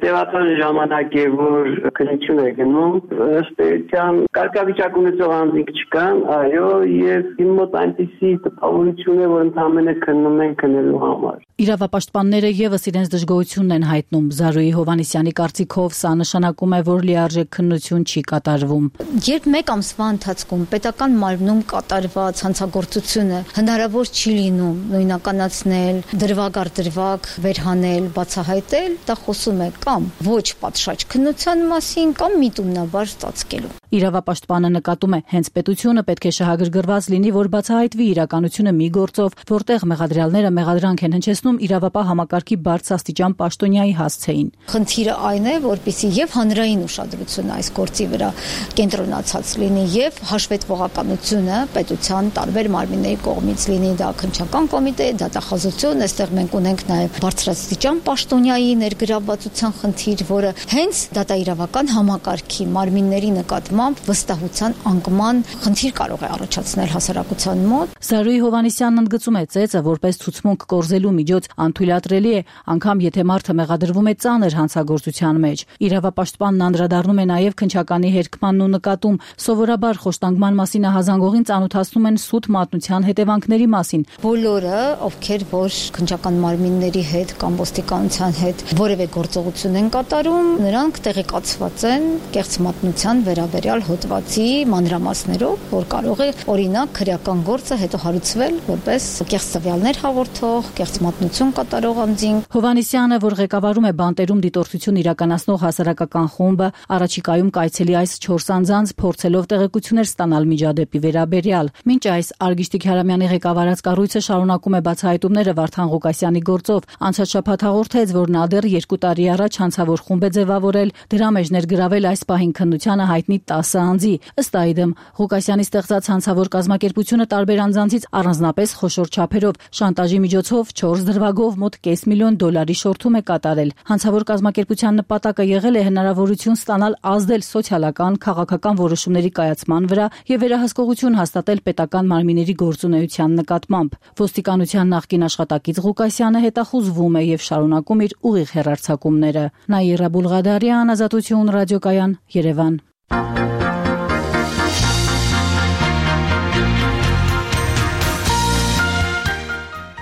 S16: տևական ժամանակ է, որ քննություն է գնում, ըստ էության կարգավիճակ ունեցող անձինք չկան, այո, եւ իմ մոտ այնպիսի տպավորություն է, որ ընդհանրապես քննում են քննելու համար։
S3: Իրավապաշտպանները եւս իրենց դժգոհությունն են հայտնում։ Զարուհի Հովհաննիսյանի կարծիքով սա նշանակում է, որ լիարժեք քննություն չի կատարվում։
S17: Երբ մեկ ամսվա ընթացքում պետական մարմնում կատարված հանցագործությունը հնարավոր չի լինում նույնականացնել, դրվագ առ դրվագ վերհանել, բացահայտել, դա խոսում է կամ ոչ պատշաճ քննության մասին, կամ միտումնաբար ստացկելու։
S3: Իրավապաշտպանը նկատում է, հենց պետությունը պետք է շահագրգռված լինի, որ բացահայտվի իրականությունը մի գործով, որտեղ մեղադրյալները մեղադրանք են հնչեցնում իրավապահ համակարգի բարձրաստիճան պաշտոնյայի հասցեին։
S17: Խնդիրը այն է, որպեսզի եւ հանրային ուշադրությունը այս գործի վրա կենտրոնացած լինի եւ հաշվետվողականությունը պետության տարբեր մարմինների կողմից լինի, դա քննչական կոմիտե, դատախազություն, այստեղ մենք ունենք նաեւ բարձրաստիճան պաշտոնյայի ներգրավվածության խնդիր, որը հենց դատաիրավական համակարգի մարմինների նկատմամբ վստահության անկման խնդիր կարող է առաջացնել հասարակության մոտ։
S3: Զարուհի Հովհաննիսյանն ընդգծում է, ծեծը որպես ցուցմունք կորզելու միջոց անթույլատրելի է, անգամ եթե մարդը մեղադրվում է ծանր հանցագործության մեջ։ Իրավապաշտպանն անդրադառնում է նաև քննչականի հերքմանն ու նկատում, սովորաբար խոշտանգման մասին հազանգողին ծանոթացնում են սուտ մատնության հետևանքների մասին։
S17: Բոլորը, ովքեր որ քննչական մարմինների հետ կամ ոստիկանության հետ որևէ գործողություն են կատարում, նրանք տեղեկացված են կեղծ մատնության վերաբերյալ հոդվածի մանրամասներով, որ կարող է օրինակ քրեական գործը հետո հարուցվել որպես կեղծ տվյալներ հաղորդող, կեղծ մատնություն պատմություն կատարող անձին։
S3: Հովանեսյանը, որ ղեկավարում է բանտերում դիտորդություն իրականացնող հասարակական խումբը, առաջիկայում կայցելի այս չորս անձանց փորձելով տեղեկություններ ստանալ միջադեպի վերաբերյալ։ Մինչ այս Արգիշտիկ Հրամյանի ղեկավարած կառույցը շարունակում է բացահայտումները Վարդան Ղուկասյանի գործով, անցած շաբաթ հաղորդեց, որ նա դեռ երկու տարի առաջ հանցավոր խումբ է ձևավորել, դրա մեջ ներգրավել այս պահին քննությանը հայտնի տասը անձի։ Ըստ այդմ, Ղուկասյանի ստեղծած հանցավոր կազմակերպությունը տարբեր անձանցից առանձնապես խոշոր չափերով շանտաժի միջոցով չորս դրվագով մոտ կես միլիոն դոլարի շորթում է կատարել։ Հանցավոր կազմակերպության նպատակը եղել է հնարավորություն ստանալ ազդել սոցիալական, քաղաքական որոշումների կայացման վրա եւ վերահսկողություն հաստատել պետական մարմինների գործունեության նկատմամբ։ Ոստիկանության նախկին աշխատակից Ղուկասյանը հետախուզվում է եւ շարունակում իր ուղիղ հեռարձակումները։ Նաիրա Բուլղադարյան, Ազատություն ռադիոկայան, Երևան։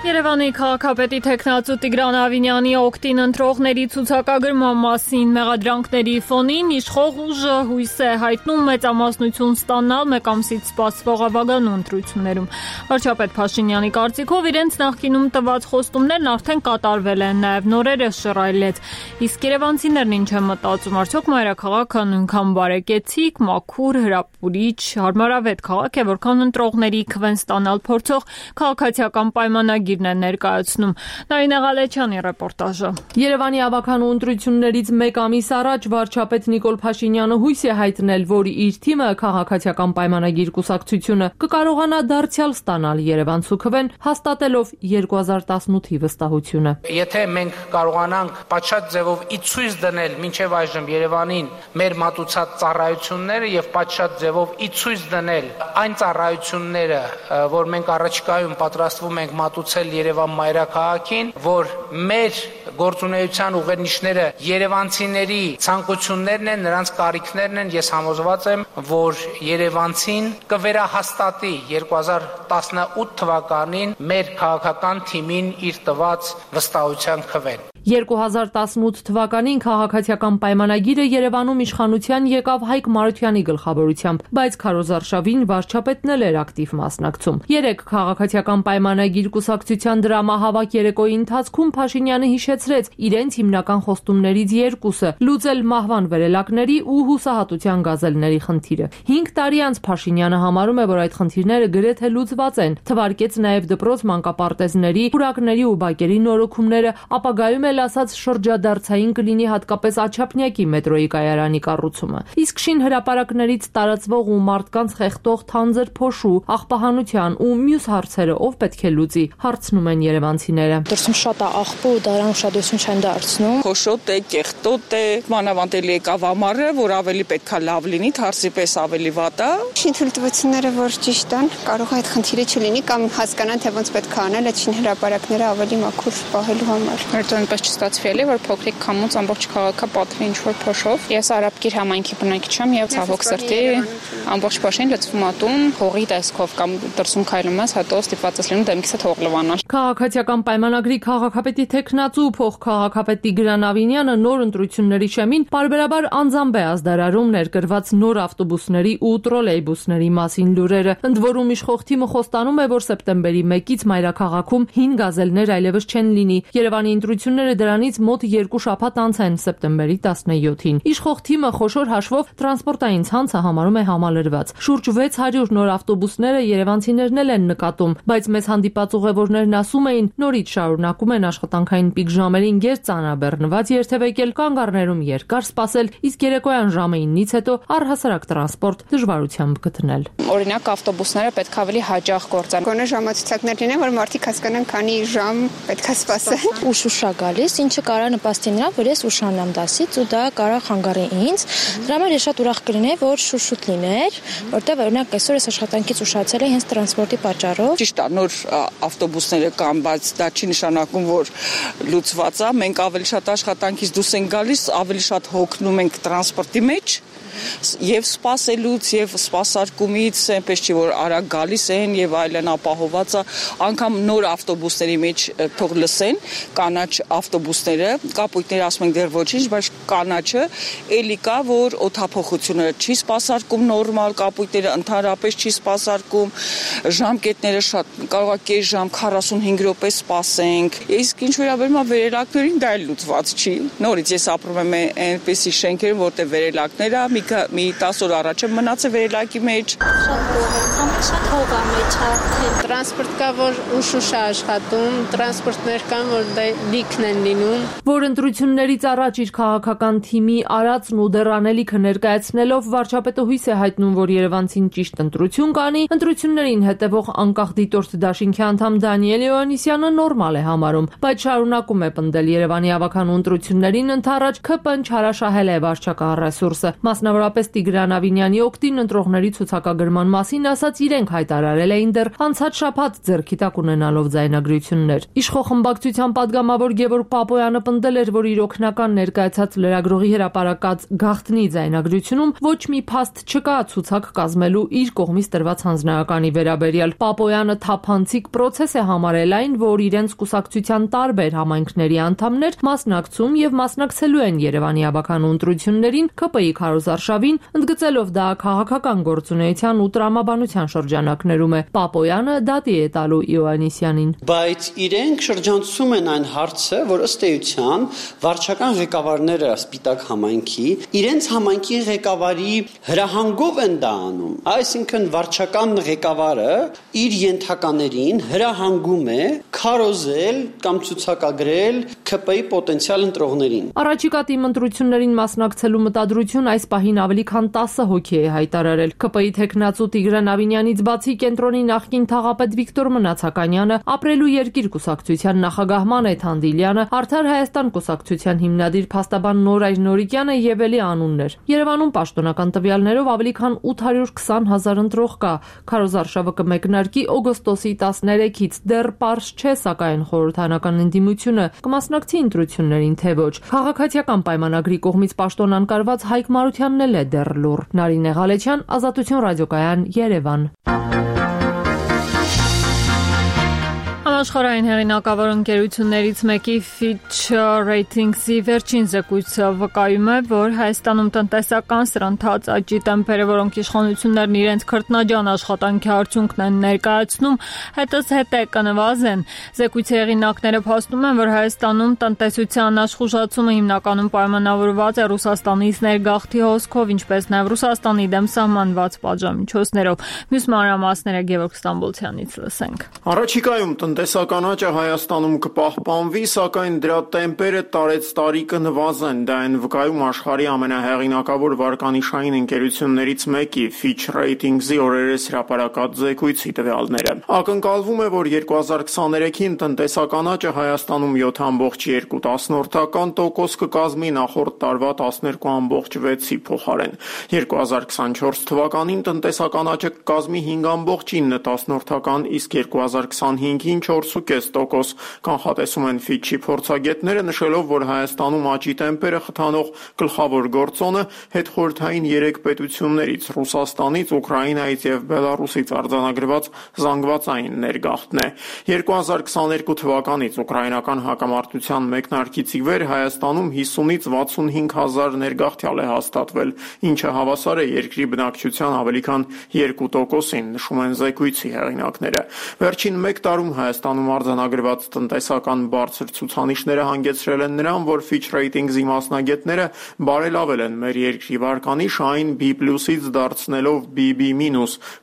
S1: Երևանի քաղաքապետի թեկնածու Տիգրան Ավինյանի օգտին ընտրողների ցուցակագրման մասին մեղադրանքների ֆոնին իշխող ուժը հույս է հայտնում մեծամասնություն ստանալ մեկ ամսից սպասվող ավագանու ընտրություններում։ Վարչապետ Փաշինյանի կարծիքով իրենց նախկինում տված խոստումներն արդեն կատարվել են, նաև նորերը շռայլեց։ Իսկ երևանցիներն ինչ են մտածում, արդյոք մայրաքաղաքը նույնքան բարեկեցիկ, մաքուր, հրապուրիչ, հարմարավետ քաղաք է, որքան ընտրողների քվեն ստանալ փորձող քաղաքացիական պայմանագիր ներկայացնում։ Նարինե Ղալեչյանի ռեպորտաժը։
S18: Երևանի ավագանու ընտրություններից մեկ ամիս առաջ վարչապետ Նիկոլ Փաշինյանը հույս է հայտնել, որ իր թիմը քաղաքացիական պայմանագիր կուսակցությունը կկարողանա դարձյալ ստանալ Երևանցու քվեն, հաստատելով երկու հազար տասնութի վստահությունը։
S19: Եթե մենք կարողանանք պատշաճ ձևով ի ցույց դնել մինչև այժմ Երևանին մեր մատուցած ծառայությունները եւ պատշաճ ձևով ի ցույց դնել այն ծառայությունները, որ մենք առաջիկայում պատրաստվում ենք մատուցել Երևան մայրաքաղաքին, որ մեր գործունեության ուղենիշները երևանցիների ցանկություններն են, նրանց կարիքներն են, ես համոզված եմ, որ երևանցին կվերահաստատի երկու հազար տասնութ թվականին մեր քաղաքական թիմին իր տված վստահության քվեն։
S18: երկու հազար տասնութ թվականին քաղաքացիական պայմանագիրը Երևանում իշխանության եկավ Հայկ Մարությանի գլխավորությամբ, բայց քարոզարշավին վարչապետն էլ էր ակտիվ մասնակցում։ Երեք քաղաքացիական պայմանագիր կուսակցության դրամահավաք երեկոյի ընթացքում Փաշինյանը հիշեցրեց իրենց հիմնական խոստումներից երկուսը՝ լուծել մահվան վերելակների ու հուսահատության գազելների խնդիրը։ հինգ տարի անց Փաշինյանը համարում է, որ այդ խնդիրները գրեթե լուծված են։ Թվարկեց նաև դպրոց մանկապարտեզների, պուրակների ու բակերի նորոգումները, ապագայում ասած շրջադարձային կլինի հատկապես Աչափնյակի մետրոյի կայարանի կառուցումը։ Իսկ շին հրապարակներից տարածվող ու մարդկանց խեղդող թանձր փոշու, աղբահանության ու մյուս հարցերը ով պետք է լուծի, հարցնում են երևանցիները։
S20: Դրսում շատ է աղբը ու դրան ուշադրություն չեն դարձնում։
S21: Փոշոտ է, կեղտոտ է, մանավանդելի եկավ ամառը, որ ավելի պետքա լավ լինի, թարսի պես ավելի վատ է։
S22: Շին թույլտվությունները որ ճիշտ են, կարող է այդ խնդիրը չլինի կամ հասկանան թե ոնց պետք է անել այդ շին հրապարակները ավելի մաքուր պահելու համար։
S20: Չստացվի էլի, որ փոքրիկ քամուց ամբողջ քաղաքը պատվի ինչ-որ փոշով։ Ես Արաբկիր համայնքի բնակիչ եմ եւ ցավոք սրտի ամբողջ փոշին լցվում ատում, հողի տեսքով կամ դրսում քայլում ես, հետո ստիպված ես լինում դեմքիցդ հող լվանալ։
S18: Քաղաքացիական պայմանագրի քաղաքապետի թեկնածու փոխքաղաքապետ Տիգրան Ավինյանը նոր ընտրությունների շեմին պարբերաբար անձամբ է ազդարարում ներկրված նոր ավտոբուսների ու տրոլեյբուսների մասին լուրերը։ Ընդ որում իշխող թիմը խոստանում է, որ սեպտեմբերի մեկից մայրաքաղաքում հին գազելներ այլևս չեն լինի։ Երևանի ընտրությունները դրանից մոտ երկու շաբաթ անց են սեպտեմբերի տասնյոթին։ Իշխող թիմը խոշոր հաշվով տրանսպորտային ցանցը համարում է համալրված։ Շուրջ վեց հարյուր նոր ավտոբուսները երևանցիներն էլ են նկատում, բայց մեծ հանդիպած ուղևորներն ասում էին, նորից շարունակում են աշխատանքային պիկ ժամերին գերծանրաբեռնված երթևեկել, կանգառներում երկար սպասել, իսկ երեկոյան ժամը ինից հետո առհասարակ տրանսպորտ դժվարությամբ գտնել։
S20: Օրինակ ավտոբուսները պետք է ավելի հաճախ գործեն։
S22: Գոնե ժամացույցներ լինեն, որ մարդիկ հասկանան քանի ժամ պետք է սպասեն։
S20: Ուշ ուշ գալիս, ինչը կարա նպաստի նրան, որ ես ուշանամ դասից ու դա կարա խանգարի ինձ։ Դրա համար ես շատ ուրախ կլինեի, որ շուշուտ լիներ, որտեղ օրինակ այսօր ես աշխատանքից ուշացել եմ հենց տրանսպորտի պատճառով։
S21: Ճիշտ է, նոր ավտոբուսները կան, բայց դա չի նշանակում, որ լուծված է։ Մենք ավելի շատ աշխատանքից դուրս ենք գալիս, ավելի շատ հոգնում ենք տրանսպորտի մեջ եւ սպասելուց եւ սպասարկումից այնպես չի որ արագ գալիս են եւ այլն ապահոված է անգամ նոր ավտոբուսների մեջ թող լսեն կանաչ ավտոբուսները կապույտները ասում են դեռ ոչինչ բայց կանաչը էլի կա որ օդափոխությունը չի սպասարկում նորմալ կապույտները ընդհանրապես չի սպասարկում ժամկետները շատ կարող է կես ժամ քառասունհինգ րոպե սպասենք իսկ ինչ վերաբերում է վերելակներին դա էլ լուծված չի նորից ես ապրում եմ այնպեսի շենքերում որտեղ վերելակները մի մի տասը օր առաջ եմ մնացել վերելակի մեջ
S2: շատ հող է մեջ
S22: տրանսպորտ կա որ ուշ-ուշ է աշխատում տրանսպորտներ կան որ դա լիքն են լինում
S18: որ ընտրություններից առաջ իր քաղաքական թիմի արածն ու դեռանելիքը ներկայացնելով վարչապետը հույս է հայտնում որ Երևանցին ճիշտ ընտրություն կանի ընտրություններին հետևող անկախ դիտորդ դաշինքի անդամ Դանիել Հովհաննիսյանը նորմալ է համարում բայց շարունակում է պնդել Երևանի ավականու ընտրություններին ընդառաջ ՔՊ-ն չարաշահել է վարչական ռեսուրսը մասնավորապես Տիգրան Ավինյանի օգտին ընտրողների ցուցակագրման մասին ասաց իրենք հայտարարել էին դեռ անցած շաբաթ ձեռքի տակ ունենալով ձայնագրություններ Իշխող խմբակցության падգամավոր Գևորգ Պապոյանը պնդել էր որ իր օգնական ներկայացած լրագրողի հրապարակած գաղտնի ձայնագրությունում ոչ մի փաստ չկա ցուցակ կազմելու իր կողմից տրված հանձնարարականի վերաբերյալ Պապոյանը թափանցիկ process է համարել այն որ իրենց կուսակցության տարբեր համայնքների անդամներ մասնակցում եւ մասնակցելու են Երևանի ավականու ընտրություններին ՔՊ-ի քարոզարշավին ընդգծելով դա քաղաքական գործունեության ու տրամաբանության շրջանակներում է Պապոյանը դատի է տալու Հովհաննիսյանին
S4: բայց իրենք շրջանցում են այն հարցը որ ըստ էության վարչական ղեկավարները Սպիտակ համայնքի իրենց համայնքի ղեկավարի հրահանգով են դա անում այսինքն վարչական ղեկավարը իր ենթականերին հրահանգում է քարոզել կամ ցուցակագրել ՔՊ-ի պոտենցիալ ընտրողներին
S18: Առաջիկա թիմ ընտրություններին մասնակցելու մտադրություն այս պահին ավելի քան տասը հոգի է հայտարարել ՔՊ-ի թեկնածու Տիգրան Ավինյանից բացի կենտրոնի նախկին թաղապետ Վիկտոր Մնացականյանը ապրելու երկիր կուսակցության նախագահ Մանեթ Հանդիլյանը Արդար Հայաստան կուսակցության հիմնադիր փաստաբան Նորայր Նորիկյանը եւ էլի անուններ Երևանում պաշտոնական տվյալներով ավելի քան ութ հարյուր քսան հազար ընտրող կա քարոզարշավը կմեկնարկի օգոստոսի տասներեքից դեռ պարզ չէ սակայն խորհրդանական ընդդիմությունը կմասնակցի ընտրություններին թե ոչ քաղաքացիական պայմանագրի կողմից պաշտոնան կարված Հայկ Մարությանն էլ է դեռ լուռ Նարինե Ղալեչյան Ազատություն ռադիոկայան Երևան
S1: Համաշխարհային հեղինակավոր ընկերություններից մեկի Fitch Ratings-ի վերջին զեկույցը վկայում է, որ Հայաստանում տնտեսական սրընթաց աճի տեմպերը, որոնք իշխանություններն իրենց քրտնաջան աշխատանքի արդյունքն են ներկայացնում, հետզհետե կնվազեն։ Զեկույցի հեղինակները փաստում են, որ Հայաստանում տնտեսության աշխուժացումը հիմնականում պայմանավորված է Ռուսաստանից ներգաղթի հոսքով, ինչպես նաև Ռուսաստանի դեմ սահմանված պատժամիջոցներով։ Մյուս մանրամասները Գևորգ Ստամբոլցյանից լսենք։
S23: Առաջիկայում տնտեսական աճը Հայաստանում կպահպանվի, սակայն դրա տեմպերը տարեց տարի կնվազեն։ Դա են վկայում աշխարհի ամենահեղինակավոր վարկանիշային ընկերություններից մեկի Fitch Ratings-ի օրերս հրապարակած զեկույցի տվյալները։ Ակնկալվում է, որ երկու հազար քսաներեքին տնտեսական աճը Հայաստանում յոթ կόμμα երկու տոկոս կկազմի նախորդ տարվա տասներկու կόμμα վեց փոխարեն։ երկու հազար քսանչորս թվականին տնտեսական աճը կկազմի հինգ կόμμα ինը, իսկ երկու հազար քսանհինգին չորս կόμμα պինգ տոկոս կանխատեսում են Fitch-ի փորձագետները, նշելով, որ Հայաստանում աճի տեմպերը խթանող գլխավոր գործոնը հետխորհրդային երեք պետություններից՝ Ռուսաստանից, Ուկրաինայից եւ Բելարուսից արձանագրված զանգվածային ներգաղթն է։ երկու հազար քսաներկու թվականից ուկրաինական հակամարտության մեկնարկից ի վեր Հայաստանում հիսունից վաթսունհինգ հազար ներգաղթյալ է հաստատվել, ինչը հավասար է երկրի բնակչության ավելի քան երկու տոկոսին, նշում են զեկույցի հեղինակները։ Վերջին մեկ տարում Հայաստանում արձանագրված տնտեսական բարձր ցուցանիշները հանգեցրել են նրան, որ Fitch Ratings-ի մասնագետները բարելավել են մեր երկրի վարկանիշը, այն B+-ից դարձնելով B B-,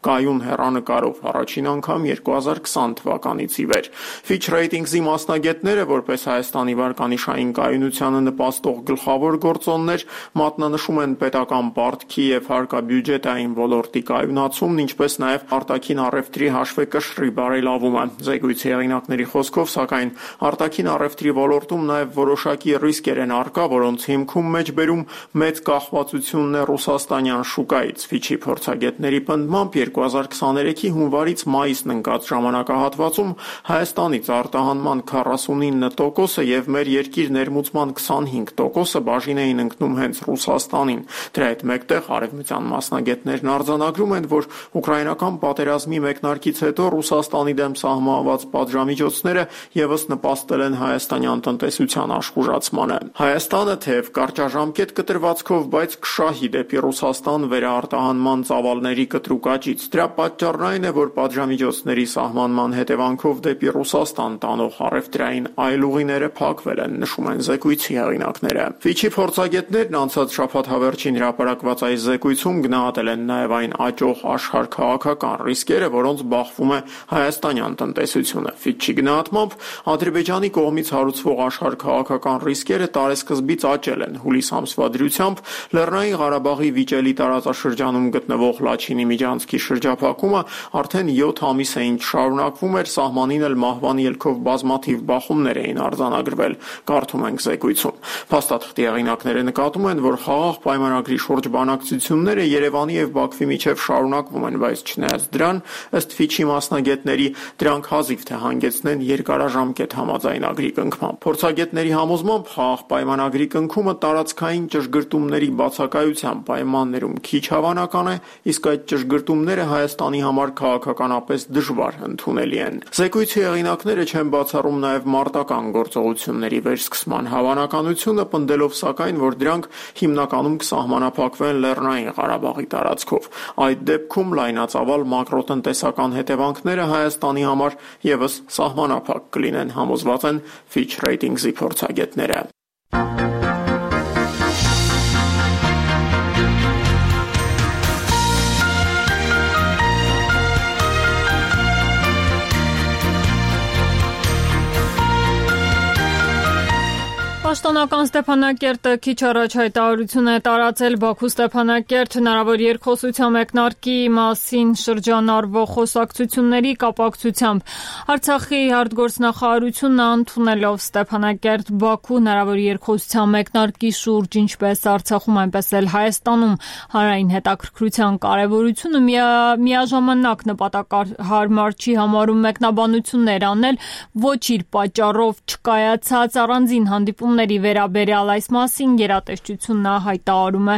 S23: կայուն հեռանկարով առաջին անգամ երկու հազար քսան թվականից ի վեր։ Fitch Ratings-ի մասնագետները, որպես Հայաստանի վարկանիշային կայունությանը նպաստող գլխավոր գործոններ, մատնանշում են պետական պարտքի եւ հարկաբյուջետային ոլորտի կայունացումն, ինչպես նաեւ արտաքին առևտրի հաշվեկշռի բարելավումը։ Զեկույցի հեղինակների խոսքով, սակայն արտաքին առևտրի ոլորտում նաև որոշակի ռիսկեր են առկա, որոնց հիմքում մեջբերում մեծ կախվածությունն է ռուսաստանյան շուկայից։ Ֆիչի փորձագետների պնդմամբ երկու հազար քսաներեքի հունվարից մայիսն ընկած ժամանակահատվածում Հայաստանից արտահանման քառասունինը տոկոսը եւ մեր երկիր ներմուծման քսանհինգ տոկոսը բաժին էին ընկնում հենց Ռուսաստանին։ Դրա հետ մեկտեղ արևմտյան մասնագետներն արձանագրում են, որ ուկրաինական պատերազմի մեկնարկից հետո Ռուսաստանի դեմ սահմանված պատժամիջոցները եւս նպաստել են հայաստանյան տնտեսության աշխուժացմանը։ Հայաստանը թեև կարճաժամկետ կտրվածքով, բայց կշահի դեպի Ռուսաստան վերարտահանման ծավալների կտրուկ աճից։ Դրա պատճառն այն է, որ պատժամիջոցների սահմանման հետևանքով դեպի Ռուսաստան տանող առևտրային այլ ուղիները փակվել են, նշում են զեկույցի հեղինակները։ Ֆիչի փորձագետներն անցած շաբաթ հավերժին հրապարակված այս զեկույցում գնահատել են նաև այն աճող աշխարհ-քաղաքական ռիսկերը, որոնց բախվում է հայաստանյան տնտեսությունը։ Ֆիչի գնահատմամբ Ադրբեջանի կողմից հարուցվող աշխարհ-քաղաքական ռիսկերը տարեսկզբից աճել են։ Հուլիս ամսվա դրությամբ Լեռնային Ղարաբաղի վիճելի տարածաշրջանում գտնվող Լաչինի միջանցքի շրջափակումը արդեն յոթ ամիս է ինչ շարունակվում էր, սահմանին էլ մահվան ելքով բազմաթիվ բախումներ էին արձանագրվել, կարդում ենք զեկույցում։ Փաստաթղթի հեղինակները նկատում են, որ խաղաղ պայմանագրի շուրջ բանակցությունները Երևանի եւ Բաքվի միջև շարունակվում են, բայց չնայած դրան, ըստ Ֆիչի մասնագետների, դրանք հազիվ թե հանգեցնեն երկարաժամկետ համաձայնագրի կնքման։ Փորձագետների համոզմամբ խաղաղ պայմանագրի կնքումը տարածքային ճշգրտումների բացակայության պայմաններում քիչ հավանական է, իսկ այդ ճշգրտումները Հայաստանի համար քաղաքականապես դժվար ընդունելի են։ Զեկույցի հեղինակները չեն բացառում նաև մարտական գործողությունների վերսկսման հավանականությունը, պնդելով սակայն, որ դրանք հիմնականում կսահմանափակվեն Լեռնային Ղարաբաղի տարածքով։ Այդ դեպքում լայնածավալ մակրոտնտեսական հետևանքները Հայաստանի համար եւս սահմանափակ կլինեն, համոզված են Fitch Ratings-ի փորձագետները։
S1: Պաշտոնական Ստեփանակերտը քիչ առաջ հայտարարություն է տարածել Բաքու-Ստեփանակերտ հնարավոր երկխոսության մեկնարկի մասին շրջանառվող խոսակցությունների կապակցությամբ։ Արցախի արտգործնախարարությունը ընդունելով Ստեփանակերտ-Բաքու հնարավոր երկխոսության մեկնարկի շուրջ ինչպես Արցախում, այնպես էլ Հայաստանում հանրային հետաքրքրության կարևորությունը միաժամանակ նպատակահարմար չի համարում մեկնաբանություններ անել ոչ իր պատճառով չկայացած առանձին հանդիպումներ վերաբերյալ այս մասին գերատեսչությունն հայտարարում է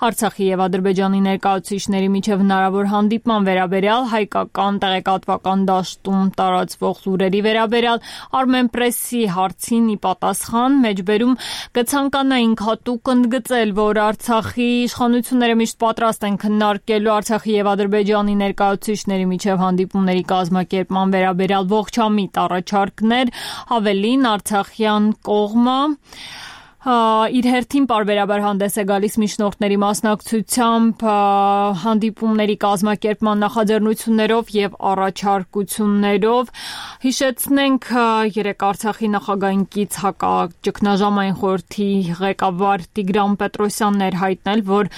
S1: Արցախի եւ Ադրբեջանի ներկայացուցիչների միջև հնարավոր հանդիպման վերաբերյալ հայկական տեղեկատվական դաշտում տարածվող լուրերի վերաբերյալ Armenpress-ի հարցին ի պատասխան մեջբերում կցանկանայինք հատուկ ընդգծել, որ Արցախի իշխանությունները միշտ պատրաստ են քննարկելու Արցախի եւ Ադրբեջանի ներկայացուցիչների միջև հանդիպումների կազմակերպման վերաբերյալ ողջամիտ առաջարկներ, ավելին արցախյան կողմը իր հերթին պարբերաբար հանդես է գալիս միջնորդների մասնակցությամբ հանդիպումների կազմակերպման նախաձեռնություններով եւ առաջարկություններով։ Հիշեցնենք երեք Արցախի նախագահին կից հակաճգնաժամային խորհրդի ղեկավար Տիգրան Պետրոսյանն էր հայտնել, որ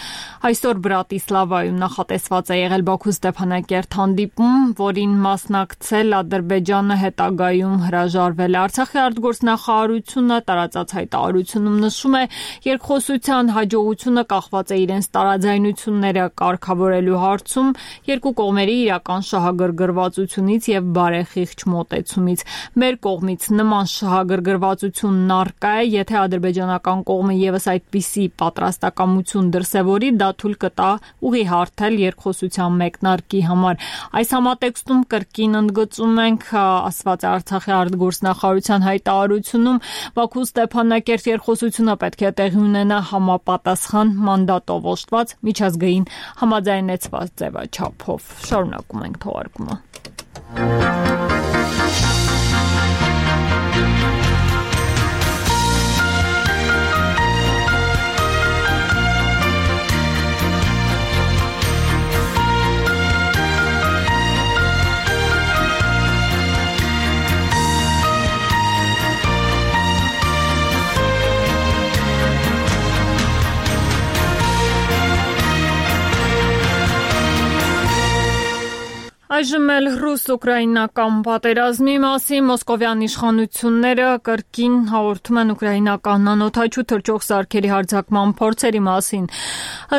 S1: այսօր Բրատիսլավայում նախատեսված է եղել Բաքու-Ստեփանակերտ հանդիպում, որին մասնակցել Ադրբեջանը հետագայում հրաժարվել է։ Արցախի արտգործնախարարությունը տարածած հայտարարությունում նշում է, երկխոսության հաջողությունը կախված է իրենց տարաձայնությունները կարգավորելու հարցում, երկու կողմերի իրական շահագրգռվածությունից եւ բարեխիղճ մոտեցումից։ Մեր կողմից նման շահագրգռվածությունն առկա է, եթե ադրբեջանական կողմը եւս այդպիսի պատրաստակամություն դրսեւորի, դա թույլ կտա ուղի հարթել երկխոսության մեկնարկի համար։ Այս համատեքստում կրկին ընդգծում ենք, ասված է Արցախի արտգործնախարարության հայտարարությունում, Բաքու-Ստեփանակերտ երկխոսությունը պետք է տեղի ունենա համապատասխան մանդատով օժտված միջազգային համաձայնեցված ձևաչափով։ Շարունակում ենք թողարկումը։ Այժմ էլ ռուս-ուկրաինական պատերազմի մասին մոսկովյան իշխանությունները կրկին հաղորդում են ուկրաինական անօդաչու թռչող սարքերի հարձակման փորձերի մասին։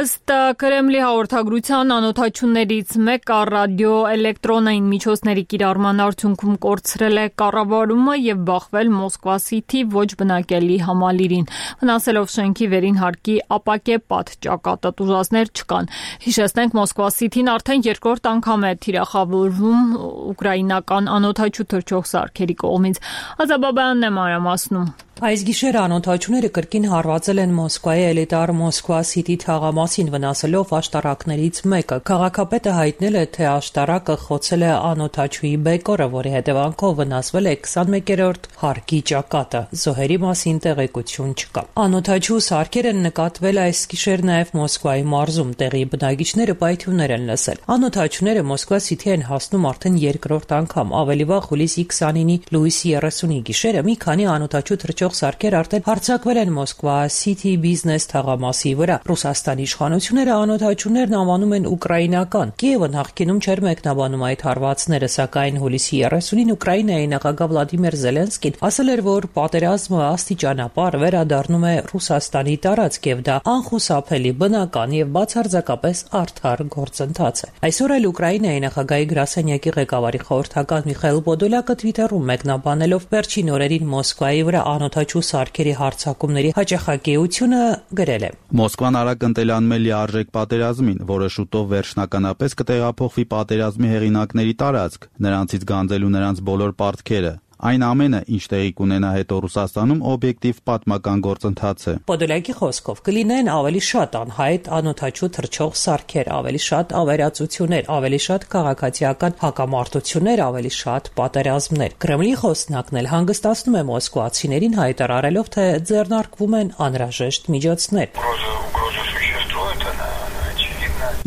S1: Ըստ Կրեմլի հաղորդագրության անօդաչուներից մեկը ռադիոէլեկտրոնային միջոցների կիրառման արդյունքում կորցրել է կառավարումը եւ բախվել Մոսկվա-Սիթի ոչ բնակելի համալիրին, վնասելով շենքի վերին հարկի ապակե պատճակատը, տուժածներ չկան։ Հիշեցնենք, Մոսկվա-Սիթին արդեն երկրորդ անգամ է թիրախավորվում ուկրաինական անօդաչու թռչող սարքերի կողմից։ Ազաբաբյանն է մանրամասնում։
S7: Այս գիշեր անօդաչուները կրկին հարվածել են Մոսկվայի էլիտար Մոսկվա-Սիթի թաղամասին, վնասելով աշտարակներից մեկը։ Քաղաքապետը հայտնել է, թե աշտարակը խոցել է անօդաչուի բեկորը, որի հետևանքով վնասվել է քսանմեկերորդ հարկի ճակատը։ Զոհերի մասին տեղեկություն չկա։ Անօդաչու սարքեր են նկատվել այս գիշեր նաև Մոսկվայի մարզում, տեղի բնակիչները պայթյուններ են լսել։ Անօդաչուները Մոսկվա-Սիթի են հասնում արդեն երկրորդ անգամ։ Ավելի վաղ հուլիսի քսանինի լույսի երեսունի գիշերը մի քանի անօդաչու թռչող սարքեր արդեն հարձակվել են Մոսկվա-Սիթի բիզնես թաղամասի վրա։ Ռուսաստանի իշխանությունները անօդաչուներն անվանում են ուկրաինական։ Կիևը նախկինում չէր մեկնաբանում այդ հարվածները, սակայն հուլիսի երեսունին Ուկրաինայի նախագահ Վլադիմիր Զելենսկին ասել էր, որ պատերազմը աստիճանաբար վերադառնում է Ռուսաստանի տարածք եւ դա անխուսափելի, բնական եւ բացարձակապես արդար գործընթաց է։ Այսօր էլ Ուկրաինայի նախագահի գրասենյակի ղեկավարի խորհրդական Միխայիլ Պոդոլյակը Twitter-ում մեկնաբանելով վերջին օրերին Մոսկվայի վրա անօդաչու սարքերի հարձակումների հաճախակիությունը գրել է.
S14: Մոսկվան արագ ընտելանում է լիարժեք պատերազմին, որը շուտով վերջնականապես կտեղափոխվի պատերազմի հեղինակների տարածք, նրանցից գանձելու նրանց բոլոր պարտքերը։ Այն ամենը, ինչ տեղի կունենա հետո Ռուսաստանում, օբյեկտիվ պատմական գործընթաց է։
S7: Պոդոլյակի խոսքով կլինեն ավելի շատ անհայտ անօդաչու թռչող սարքեր, ավելի շատ ավերածություններ, ավելի շատ քաղաքացիական հակամարտություններ, ավելի շատ պատերազմներ։ Կրեմլի խոսնակն էլ հանգստացնում է մոսկվացիներին, հայտարարելով, թե ձեռնարկվում են անհրաժեշտ միջոցներ։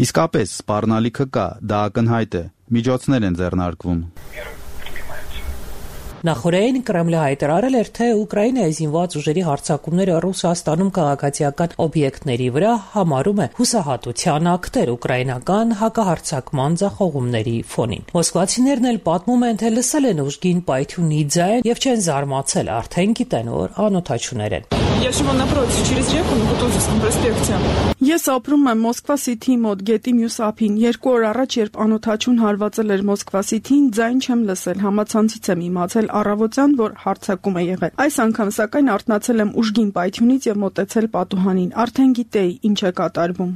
S14: Իսկապես, սպառնալիքը կա, դա ակնհայտ է։ Միջոցներ են ձեռնարկվում։
S7: Նախորդին Կրեմլը հայտարարել էր, թե Ուկրաինայի զինված ուժերի հարձակումները Ռուսաստանում քաղաքացիական օբյեկտների վրա համարում է հուսահատության ակտեր ուկրաինական հակահարձակման ձախողումների ֆոնին։ Մոսկվացիներն էլ պատմում են, թե լսել են ուժգին պայթյունի ձայն եւ չեն զարմացել, արդեն գիտեն, որ անօդաչուներ են։
S8: Ես ապրում եմ Մոսկվա-Սիթի մոտ, գետի մյուս ափին։ Երկու օր առաջ, երբ անօդաչուն հարվածել էր Մոսկվա-Սիթին, ձայն չեմ լսել, համացանցից եմ իմացել առավոտյան, որ հարձակում է եղել։ Այս անգամ սակայն արթնացել եմ ուժգին պայթյունից եւ մոտեցել պատուհանին։ Արդեն գիտեի ինչ է կատարվում։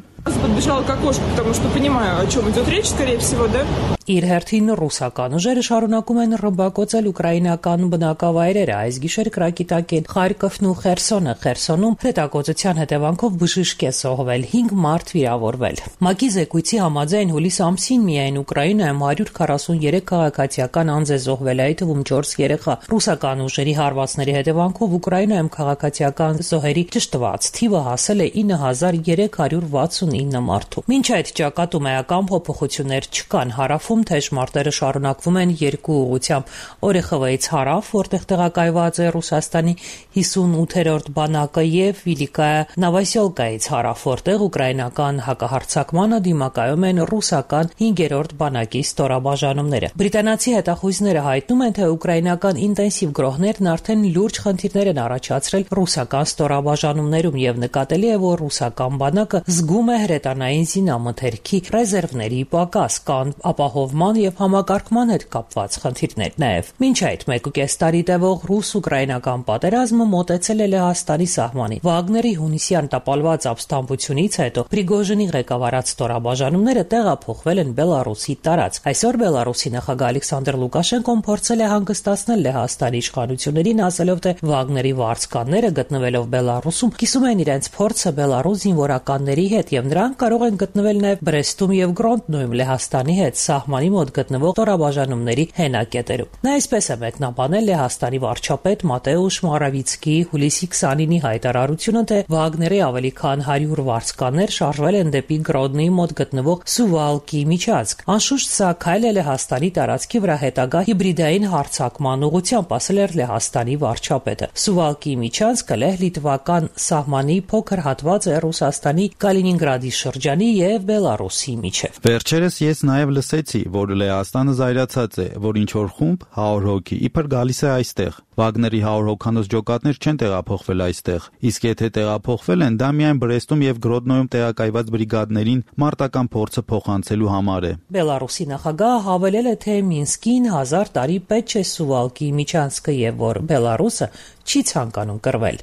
S7: Իր հերթին ռուսական ուժերը շարունակում են ռմբակոծել ուկրաինական բնակավայրերը։ Այս գիշեր կրակի տակ են Խարկովն ու Խերսոնը։ Խերսոնում հետագործության հետևանքով բժիշկ է զոհվել, հինգ մարդ վիրավորվել։ ՄԱԿ-ի զեկույցի համաձայն հուլիս ամսին միայն Ուկրաինայում հարյուր քառասուններեք քաղաքացիական անձ է զոհվել, այդ թվում չորս երեխա։ Ռուսական ուժերի հարվածների հետևանքով Ուկրաինայում քաղաքացիական զոհերի ճշտված թիվը հասել է ինը հազար երեք հարյուր վաթսունինը մարդու։ Մինչ այդ ճակատում էական փոփոխություններ չկան, հարավում թեժ մարտերը շարունակվում են երկու ուղղությամբ՝ Օրեխովից հարավ, որտեղ տեղակայված է Ռուսաստանի հիսունութերորդ բանակը, եւ Վիլիկայա Նովոսելկայից հարավ, որտեղ ուկրաինական հակահարձակմանը դիմակայում են ռուսական հինգերորդ բանակի ստորաբաժանումները։ Բրիտանացի հետախույզները հայտնում են, թե ուկրաինական ինտենսիվ գրոհներն արդեն լուրջ խնդիրներ են առաջացրել ռուսական ստորաբաժանումներում եւ նկատելի է, որ ռուսական բանակը զգում է հրետանային զինամթերքի ռեզերվների պակաս, կան ապահովման եւ համակարգման հետ կապված խնդիրներ նաեւ։ Մինչ այդ մեկուկես տարի տևող ռուս-ուկրաինական պատերազմը մոտեցել է Լեհաստանի սահմանին։ Վագների հունիսյան տապալված ապստամբությունից հետո Պրիգոժինի ղեկավարած ստորաբաժանումները տեղափոխվել են Բելարուսի տարածք։ Այսօր Բելարուսի նախագահ Ալեքսանդր Լուկաշենկոն փորձել է հանգստացնել Լեհաստանի իշխանություններին, ասելով, թե Վագների վարձկանները գտնվելով Բելարուսում կիսում են իրենց փորձը Բելարուս զինվորականների հետ եւ նրանք կարող են գտնվել նաեւ Բրեստում եւ Գրոնդնոյում Լեհաստանի հետ սահմանի մոտ գտնվող ստորաբաժանումների հենակետերում։ Նա այսպես է մեկնաբանել Լեհաստանի վարչապետ Մատեուշ Մորավիցկիի հուլիսի քսանինի հայտարարությունը, թե Վագների ավելի քան հարյուր վարձկաններ շարժվել են դեպի Գրոդնոյի մոտ գտնվող Սուվալկի միջանցք։ Անշուշտ սա քայլ է Լեհաստանի տարածքի վրա հետագա հիբրիդային հարձակման ուղղությամբ, ասել էր Լեհաստանի վարչապետը։ Սուվալկի միջանցքը լեհ-լիտվական սահմանի փոքր հատված է Ռուսաստանի Կալինինգրադի շրջանի եւ Բելարուսի միջև։
S14: Վերջերս ես նաեւ լսեցի, որ Լեհաստանը զայրացած է, որ ինչ որ խումբ հարյուր հոգի իբր գալիս է այստեղ։ Վագների հարյուր հոգանոց ջոկատներ չեն տեղափոխվել այստեղ, իսկ եթե տեղափոխվել են, դա միայն Բրեստում եւ Գրոդնոյում տեղակայված բրիգադներին մարտական փորձը փոխանցելու համար է։
S7: Բելարուսի նախագահը հավելել է, թե Մինսկին հազար տարի պետք չէ սուվալքի միջանցքը եւ որ Բելարուսը չի ցանկանում կռվել։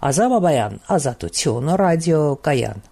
S7: Ազատ Բաբայան, Ազատություն, ռադիո Կայան։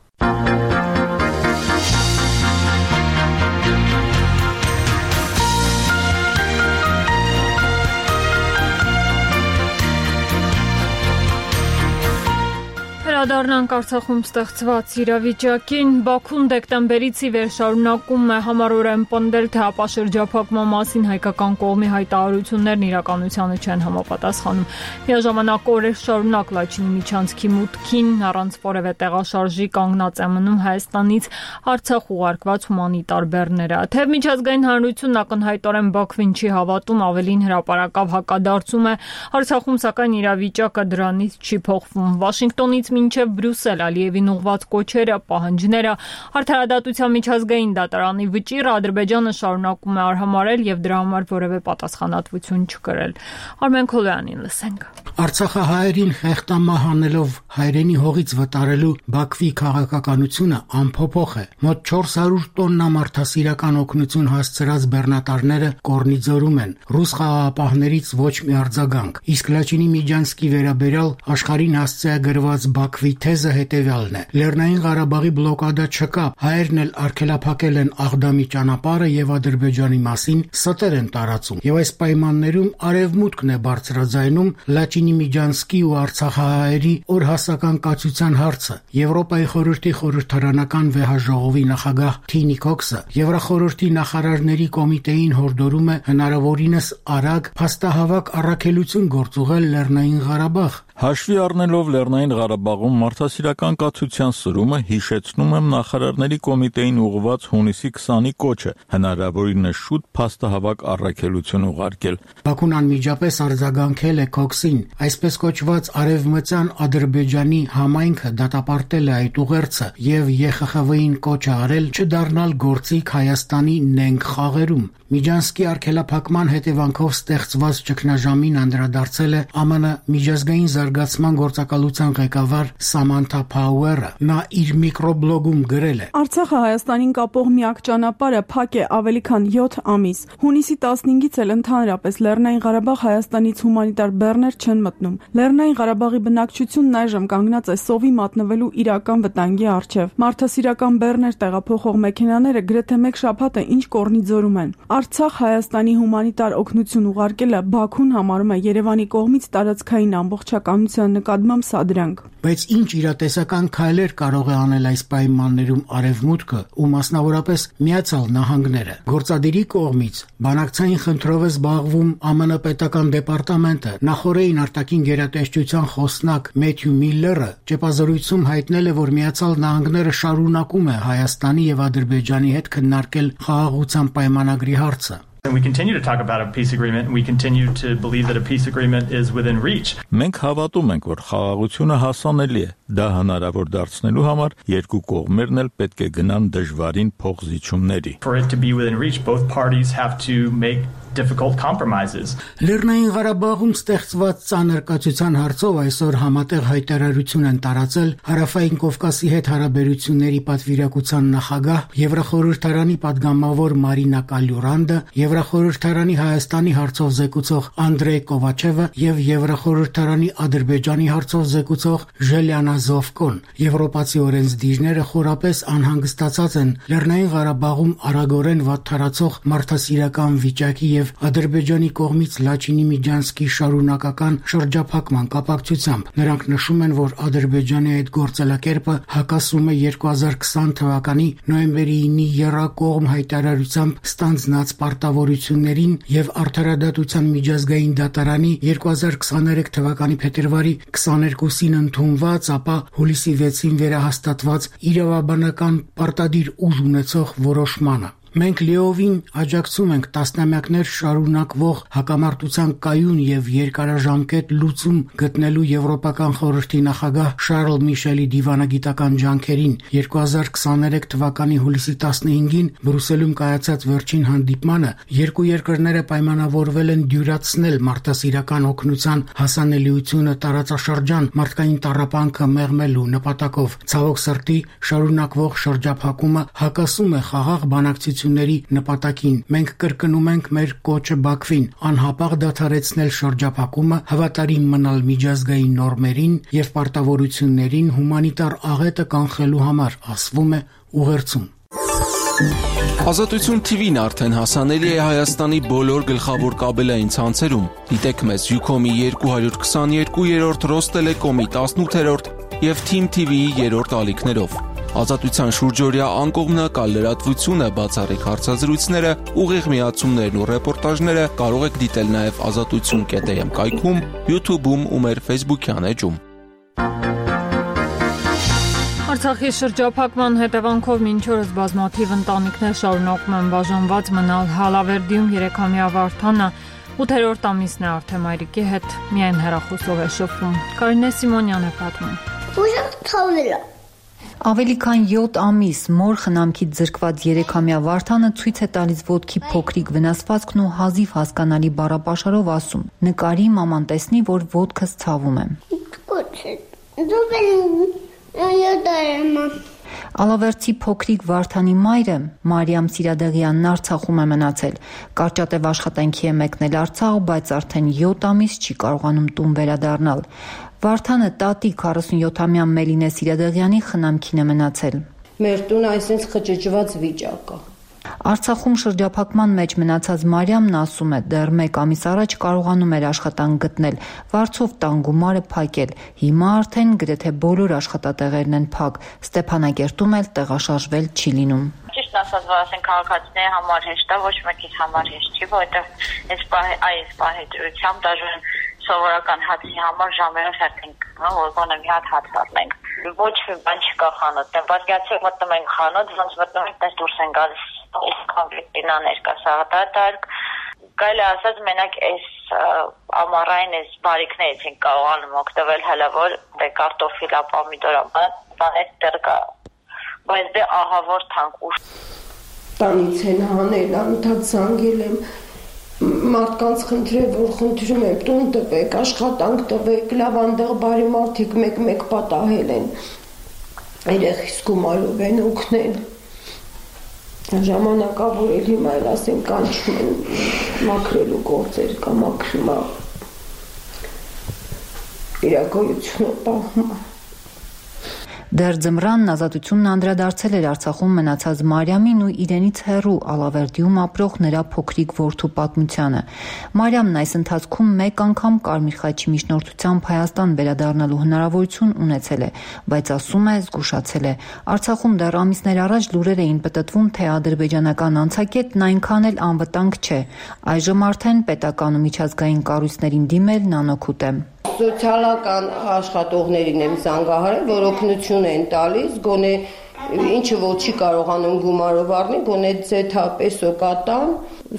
S1: Անդառնանք Արցախում ստեղծված իրավիճակին, Բաքուն դեկտեմբերից ի վեր շարունակում է համառորեն պնդել, թե հապաշրջափակման մասին հայկական կողմի հայտարարություններն իրականությանը չեն համապատասխանում։ Միաժամանակ օրեր շարունակ Լաչինի միջանցքի մուտքին առանց որևէ տեղաշարժի կանգնած է մնում Հայաստանից Արցախ ուղարկված հումանիտար բեռները։ Թեև միջազգային հանրությունն ակնհայտորեն Բաքվին չի հավատում, ավելին հրապարակավ հակադարձում է, Արցախում սակայն իրավիճակը դրանից չի փոխվում։ Վաշինգտոնից մինչև Բրյուսել Ալիևին ուղղված կոչերը, պահանջները, Արդարադատության միջազգային դատարանի վճիռը Ադրբեջանը շարունակում է արհամարել եւ դրա համար որևէ պատասխանատվություն չկրել։ Արմեն Քոլյանին լսենք։
S9: Արցախահայերին խեղտամահ անելով հայրենի հողից վտարելու Բաքվի քաղաքականությունը անփոփոխ է։ Մոտ չորս հարյուր տոննա մարդասիրական օգնություն հասցրած բեռնատարները կորնիձորում են։ Ռուս խաղաղապահներից ոչ մի արձագանք։ Իսկ Լաչինի միջանցքի վերաբերյալ աշխարհին հասցե գրված Բաքվի թեզը հետևյալն է. Լեռնային Ղարաբաղի բլոկադա չկա, հայերն էլ արգելափակել են Աղդամի ճանապարհը եւ Ադրբեջանի մասին ստեր են տարածում։ Եվ այս պայմաններում արևմուտքն է բարձրաձայնում Լաչինի միջանցքի ու Արցախահայերի օրհասական կացության հարցը։ Եվրոպայի խորհրդի խորհրդարանական վեհաժողովի նախագահ Թինի Քոքսը Եվրախորհրդի նախարարների կոմիտեին հորդորում է հնարավորինս արագ փաստահավաք առաքելություն գործուղել Լեռնային Ղարաբաղ։
S10: Հաշվի առնելով Լեռնային Ղարաբաղում մարդասիրական կացության սրումը, հիշեցնում եմ նախարարների կոմիտեին ուղղված հունիսի քսանի կոչը, հնարավորինս շուտ փաստահավաք առաքելություն ուղարկել։
S9: Բաքուն անմիջապես արձագանքել է Քոքսին, այսպես կոչված Արևմտյան Ադրբեջանի համայնքը դատապարտել է այդ ուղերձը եւ Ե Խ Խ V-ին կոչ արել չդառնալ գործիք Հայաստանի նենգ խաղերում։ Միջանցքի արգելափակման հետևանքով ստեղծված ճգնաժամին անդրադարձել է Ամն միջազգային զարգացման գործակալության ղեկավար Սամանթա Փաուերը։ Նա իր միկրոբլոգում գրել է.
S8: Արցախը Հայաստանին կապող միակ ճանապարհը փակ է ավելի քան յոթ ամիս։ Հունիսի տասնհինգից էլ ընդհանրապես Լեռնային Ղարաբաղ Հայաստանից հումանիտար բեռներ չեն մտնում։ Լեռնային Ղարաբաղի բնակչությունն այժմ կանգնած է սովի մատնվելու իրական վտանգի առջև։ Մարդասիրական բեռներ տեղափոխող մեքենաները գրեթե մեկ շաբաթ է ինչ կորնիձորում են։ Արցախ Հայաստանի հումանիտար օգնություն ուղարկելը Բաքուն համարում է Երևանի կողմից տարածքային ամբողջականության նկատմամբ սադրանք։
S9: Բայց ինչ իրատեսական քայլեր կարող է անել այս պայմաններում Արևմուտքը ու մասնավորապես Միացյալ Նահանգները։ Գործադիրի կողմից բանակցային խնդրով է զբաղվում Ամն պետական դեպարտամենտը։ Նախորդին արտաքին գերատեսչության խոսնակ Մեթյու Միլլերը ճեպազորույցում հայտնել է, որ Միացյալ Նահանգները շարունակում է Հայաստանի եւ Ադրբեջանի հետ քննարկել խաղաղության պայմանագրի հարցը։
S11: And we continue to talk about a peace agreement and we continue to believe that a peace agreement is within reach.
S10: Մենք հավատում ենք, որ խաղաղությունը հասանելի է։ Դա հնարավոր դարձնելու համար երկու կողմերն էլ պետք է գնան դժվարին փոխզիջումների։
S11: For it to be within reach, both parties have to make difficult compromises.
S9: Լեռնային Ղարաբաղում ստեղծված ծանր կացության հարցով այսօր համատեղ հայտարարություն են տարածել Հարավային Կովկասի հետ հարաբերությունների պատվիրակության նախագահ, Եվրախորհրդարանի падգամավոր Մարինա Կալյուրանդը, Եվրախորհրդարանի Հայաստանի հարցով զեկուցող Անդրեյ Կովաչևը եւ Եվրախորհրդարանի Ադրբեջանի հարցով զեկուցող Ժելիանա Զովկոն։ Եվրոպացի օրենսդիրները խորապես անհանգստացած են Լեռնային Ղարաբաղում արագորեն վատթարացող մարդասիրական վիճակի եւ Ադրբեջանի կողմից Լաչինի միջանցքի շարունակական շրջափակման կապակցությամբ։ Նրանք նշում են, որ Ադրբեջանի այդ գործելակերպը հակասում է երկու հազար քսան թվականի նոյեմբերի ինի եռակողմ հայտարարությամբ ստանձնած պարտավորություններին եւ Արդարադատության միջազգային դատարանի երկու հազար քսաներեք թվականի փետրվարի քսաներկուսին ընդունված, ապա հուլիսի վեցին վերահաստատված իրավաբանական պարտադիր ուժ ունեցող որոշմանը։ Մենք լիովին աջակցում ենք տասնամյակներ շարունակվող հակամարտության կայուն եւ երկարաժամկետ լուծում գտնելու Եվրոպական խորհրդի նախագահ Շարլ Միշելի դիվանագիտական ջանքերին։ երկու հազար քսաներեք թվականի հուլիսի տասնհինգին Բրյուսելում կայացած վերջին հանդիպմանը երկու երկրները պայմանավորվել են դյուրացնել մարդասիրական օգնության հասանելիությունը տարածաշրջան մարդկային տառապանքը մեղմելու նպատակով։ Ցավոք սրտի, շարունակվող շրջափակումը հակասում է խաղաղ բանակցությունների նպատակին։ Մենք կրկնում ենք մեր կոչը Բաքվին անհապաղ դադարեցնել շրջափակումը, հավատարիմ մնալ միջազգային նորմերին եւ պարտավորություններին հումանիտար աղետը կանխելու համար, ասվում է ուղերձում։
S6: Ազատություն թիվին արդեն հասանելի է Հայաստանի բոլոր գլխավոր կաբելային ցանցերում։ Դիտեք մեզ Յուքոմի երկու հարյուր քսաներկու, Ռոստելեկոմի տասնութերորդ եւ Թիմ թի վիի երրորդ ալիքներով։ Ազատության շուրջօրյա անկողմնակալ լրատվությունը, բացառիկ հարցազրույցները, ուղիղ միացումներն ու ռեպորտաժները կարող եք դիտել նաև ազատություն կետ էմ կայքում, YouTube-ում ու մեր Facebook-յան էջում։
S1: Արցախի շրջափակման հետևանքով մինչ օրս բազմաթիվ ընտանիքներ շարունակում են բաժանված մնալ Հալավերդիում երեքամյա Վարդանը ութերորդ ամիսն է արդեն մայրիկի հետ միայն հեռախոսով է շփվում։ Կարինե Սիմոնյան է պատմում։
S12: Ուժեղ թավնելա։
S3: Ավելի քան յոթ ամիս մոր խնամքից զրկված երեքամյա Վարդանը ցույց է տալիս ոտքի փոքրիկ վնասվածքն ու հազիվ հասկանալի բառապաշարով ասում. նկարի մաման տեսնի, որ ոտքս ցավում է։ Ալավերդի փոքրիկ Վարդանի մայրը Մարիամ Սիրադեղյանն Արցախում է մնացել։ Կարճատև աշխատանքի է մեկնել Արցախ, բայց արդեն յոթ ամիս չի կարողանում տուն վերադառնալ։ Վարդանը տատի քառասունյոթամյա Մելինե Սիրադեղյանի խնամքին է մնացել։
S13: Մեր տունը այսպես խճճված վիճակ է։
S3: Արցախում շրջափակման մեջ մնացած Մարիամն ասում է, դեռ մեկ ամիս առաջ կարողանում էր աշխատանք գտնել, վարձով տան գումարը փակել։ Հիմա արդեն գրեթե բոլոր աշխատատեղերն են փակ։ Ստեփանագերտում էլ տեղաշարժվել չի լինում։
S24: Ճիշտ ասած, որ ասեն քաղաքացիների համար հեշտ է, ոչ մեկից համար հեշտ չի, որովհետև այս այս պահեջությամբ դաժան սովորական հացի համար ժամերով հերթ ենք, որ գոնե մի հատ հաց առնենք։ Ոչ մի բան չկա խանութում, պատկերացրեք մտնում ենք խանութ, ոնց մտնում ենք, տես դուրս են գալիս կոնկրետինաներ կա սաղատատարկ, կարելի ասած մենակ այս ամառային այս բարիքներից ենք կարողանում օգտվել հələ որ դե կարտոֆիլա, պոմիդորա, բաներ դեռ կա, բայց դե ահավոր թանկ ուշ։
S13: Տանից են հանել, անդադ զանգել եմ, մարդկանց խնդրել, որ խնդրում եմ տուն տվեք, աշխատանք տվեք, լավ անդեղ բարի մարդիկ մեկ-մեկ պատահել են, երեխիս գումարով են օգնել։ Ժամանակավոր էլ հիմա էլ ասեն կանչում են մաքրելու գործեր կամ մաքրումա իրակայությունը պահում։
S3: Դեռ ձմռանն ազատությունն անդրադարձել էր Արցախում մնացած Մարիամին ու իրենից հեռու Ալավերդիում ապրող նրա փոքրիկ որդու պատմությանը։ Մարիամն այս ընթացքում մեկ անգամ Կարմիր խաչի միջնորդությամբ Հայաստան վերադառնալու հնարավորություն ունեցել է, բայց ասում է զգուշացել է։ Արցախում դեռ ամիսներ առաջ լուրեր էին պտտվում, թե ադրբեջանական անցակետն այնքան էլ անվտանգ չէ։ Այժմ արդեն պետական ու միջազգային կառույցներին դիմելն անօգուտ է։
S13: Սոցիալական աշխատողներին եմ զանգահարել, որ օգնություն են տալիս, գոնե ինչը որ չի կարողանում գումարով առնի, գոնե ձեթա պեսո կատան,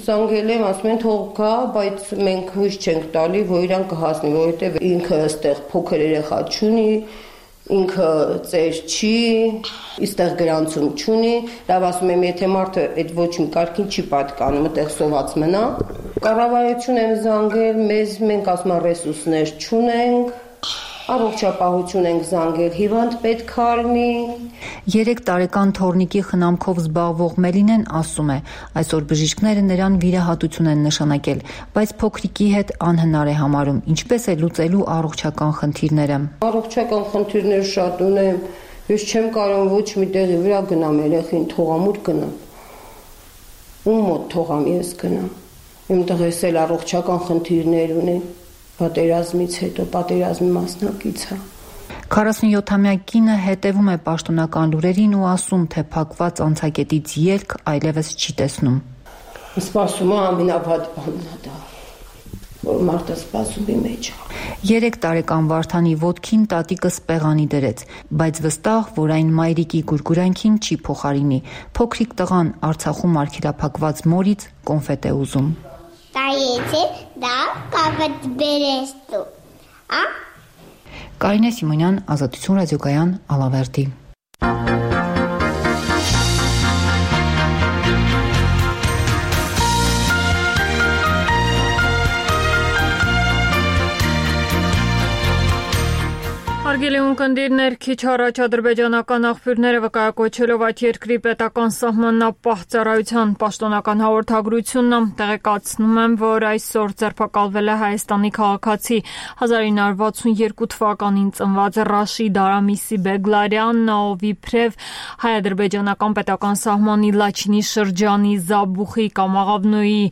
S13: զանգել եմ, ասում են թող գա, բայց մենք հույս չենք տալի, որ իրան կհասնի, որովհետև ինքը այստեղ փոքր երեխա չունի, ինքը ծեր չի, իստեղ գրանցում չունի, լավ ասում եմ, եթե մարդը այդ ոչ մի կարգին չի պատկանում, այդտեղ սոված մնա։ Կառավարություն եմ զանգել, մեզ մենք ասում ռեսուրսներ չունենք, առողջապահություն ենք զանգել, հիվանդ պետք է լինի։
S3: Երեք տարեկան թորնիկի խնամքով զբաղվող Մելինեն ասում է, այսօր բժիշկները նրան վիրահատություն են նշանակել, բայց փոքրիկի հետ անհնար է համարում, ինչպես է լուծելու առողջական խնդիրները։
S13: Առողջական խնդիրներ շատ ունեմ, ես չեմ կարող ոչ մի տեղի վրա գնամ երեխին, թողամ ուր գնամ։ Ում մոտ թողամ ես գնամ։ Իմ տղես էլ առողջական խնդիրներ ունի, պատերազմից հետո պատերազմի մասնակից է։
S3: քառասունյոթամյա կինը հետևում է պաշտոնական լուրերին ու ասում, թե փակված անցակետից ելք այլևս չի տեսնում։
S13: Սպասում է ամենավատ բանն է դա։ որ մարդը սպասումի մեջ է։
S5: Երեք տարեկան Վարդանի ոտքին տատիկը սպեղանի դրեց, բայց վստահ, որ այն մայրիկի գուրգուրանքին չի փոխարինի։ Փոքրիկ տղան Արցախում արգելափակված մորից կոնֆետ է ուզում։
S12: Տայեցի, դա կավդ բերես դու, ա՞։
S5: Կարինե Սիմոնյան, Ազատություն ռադիոկայան, Ալավերդի։
S1: Հարգելի ունկնդիրներ, քիչ առաջ ադրբեջանական աղբյուրները վկայակոչելով այդ երկրի պետական սահմանապահ ծառայության պաշտոնական հաղորդագրությունն տեղեկացնում են, որ այսօր ձերբակալվել է Հայաստանի քաղաքացի հազար ինը հարյուր վաթսունյերկու թվականին ծնված Ռաշիդ Արամիսի Բեգլարյանն, ով իբրև հայ-ադրբեջանական պետական սահմանի Լաչինի շրջանի Զաբուխի կամ Աղավնոյի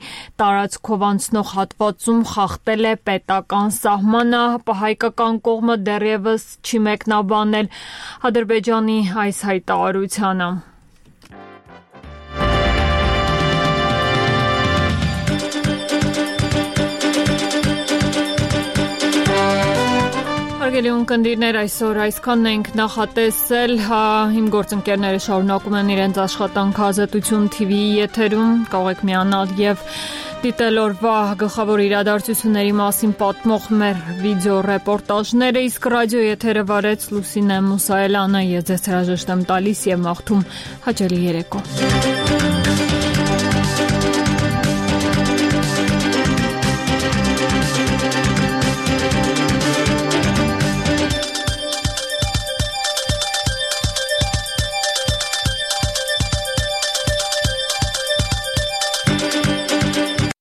S1: տարածքով անցնող հատվածում խախտել է պետական սահմանը, հայկական կողմը դեռևս չի մեկնաբանել Ադրբեջանի այս հայտարարությանը։ Հարգելի ունկնդիրներ, այսօր այսքանն ենք նախատեսել, իմ գործընկերները շարունակում են իրենց աշխատանքը Ազատություն թիվիի եթերում, կարող եք միանալ եւ դիտել օրվա գլխավոր իրադարձությունների մասին պատմող մեր վիդեո ռեպորտաժները, իսկ ռադիո եթերը վարեց Լուսինե Մուսայելյանը, ես ձեզ հրաժեշտ եմ տալիս եւ մաղթում հաճելի երեկո։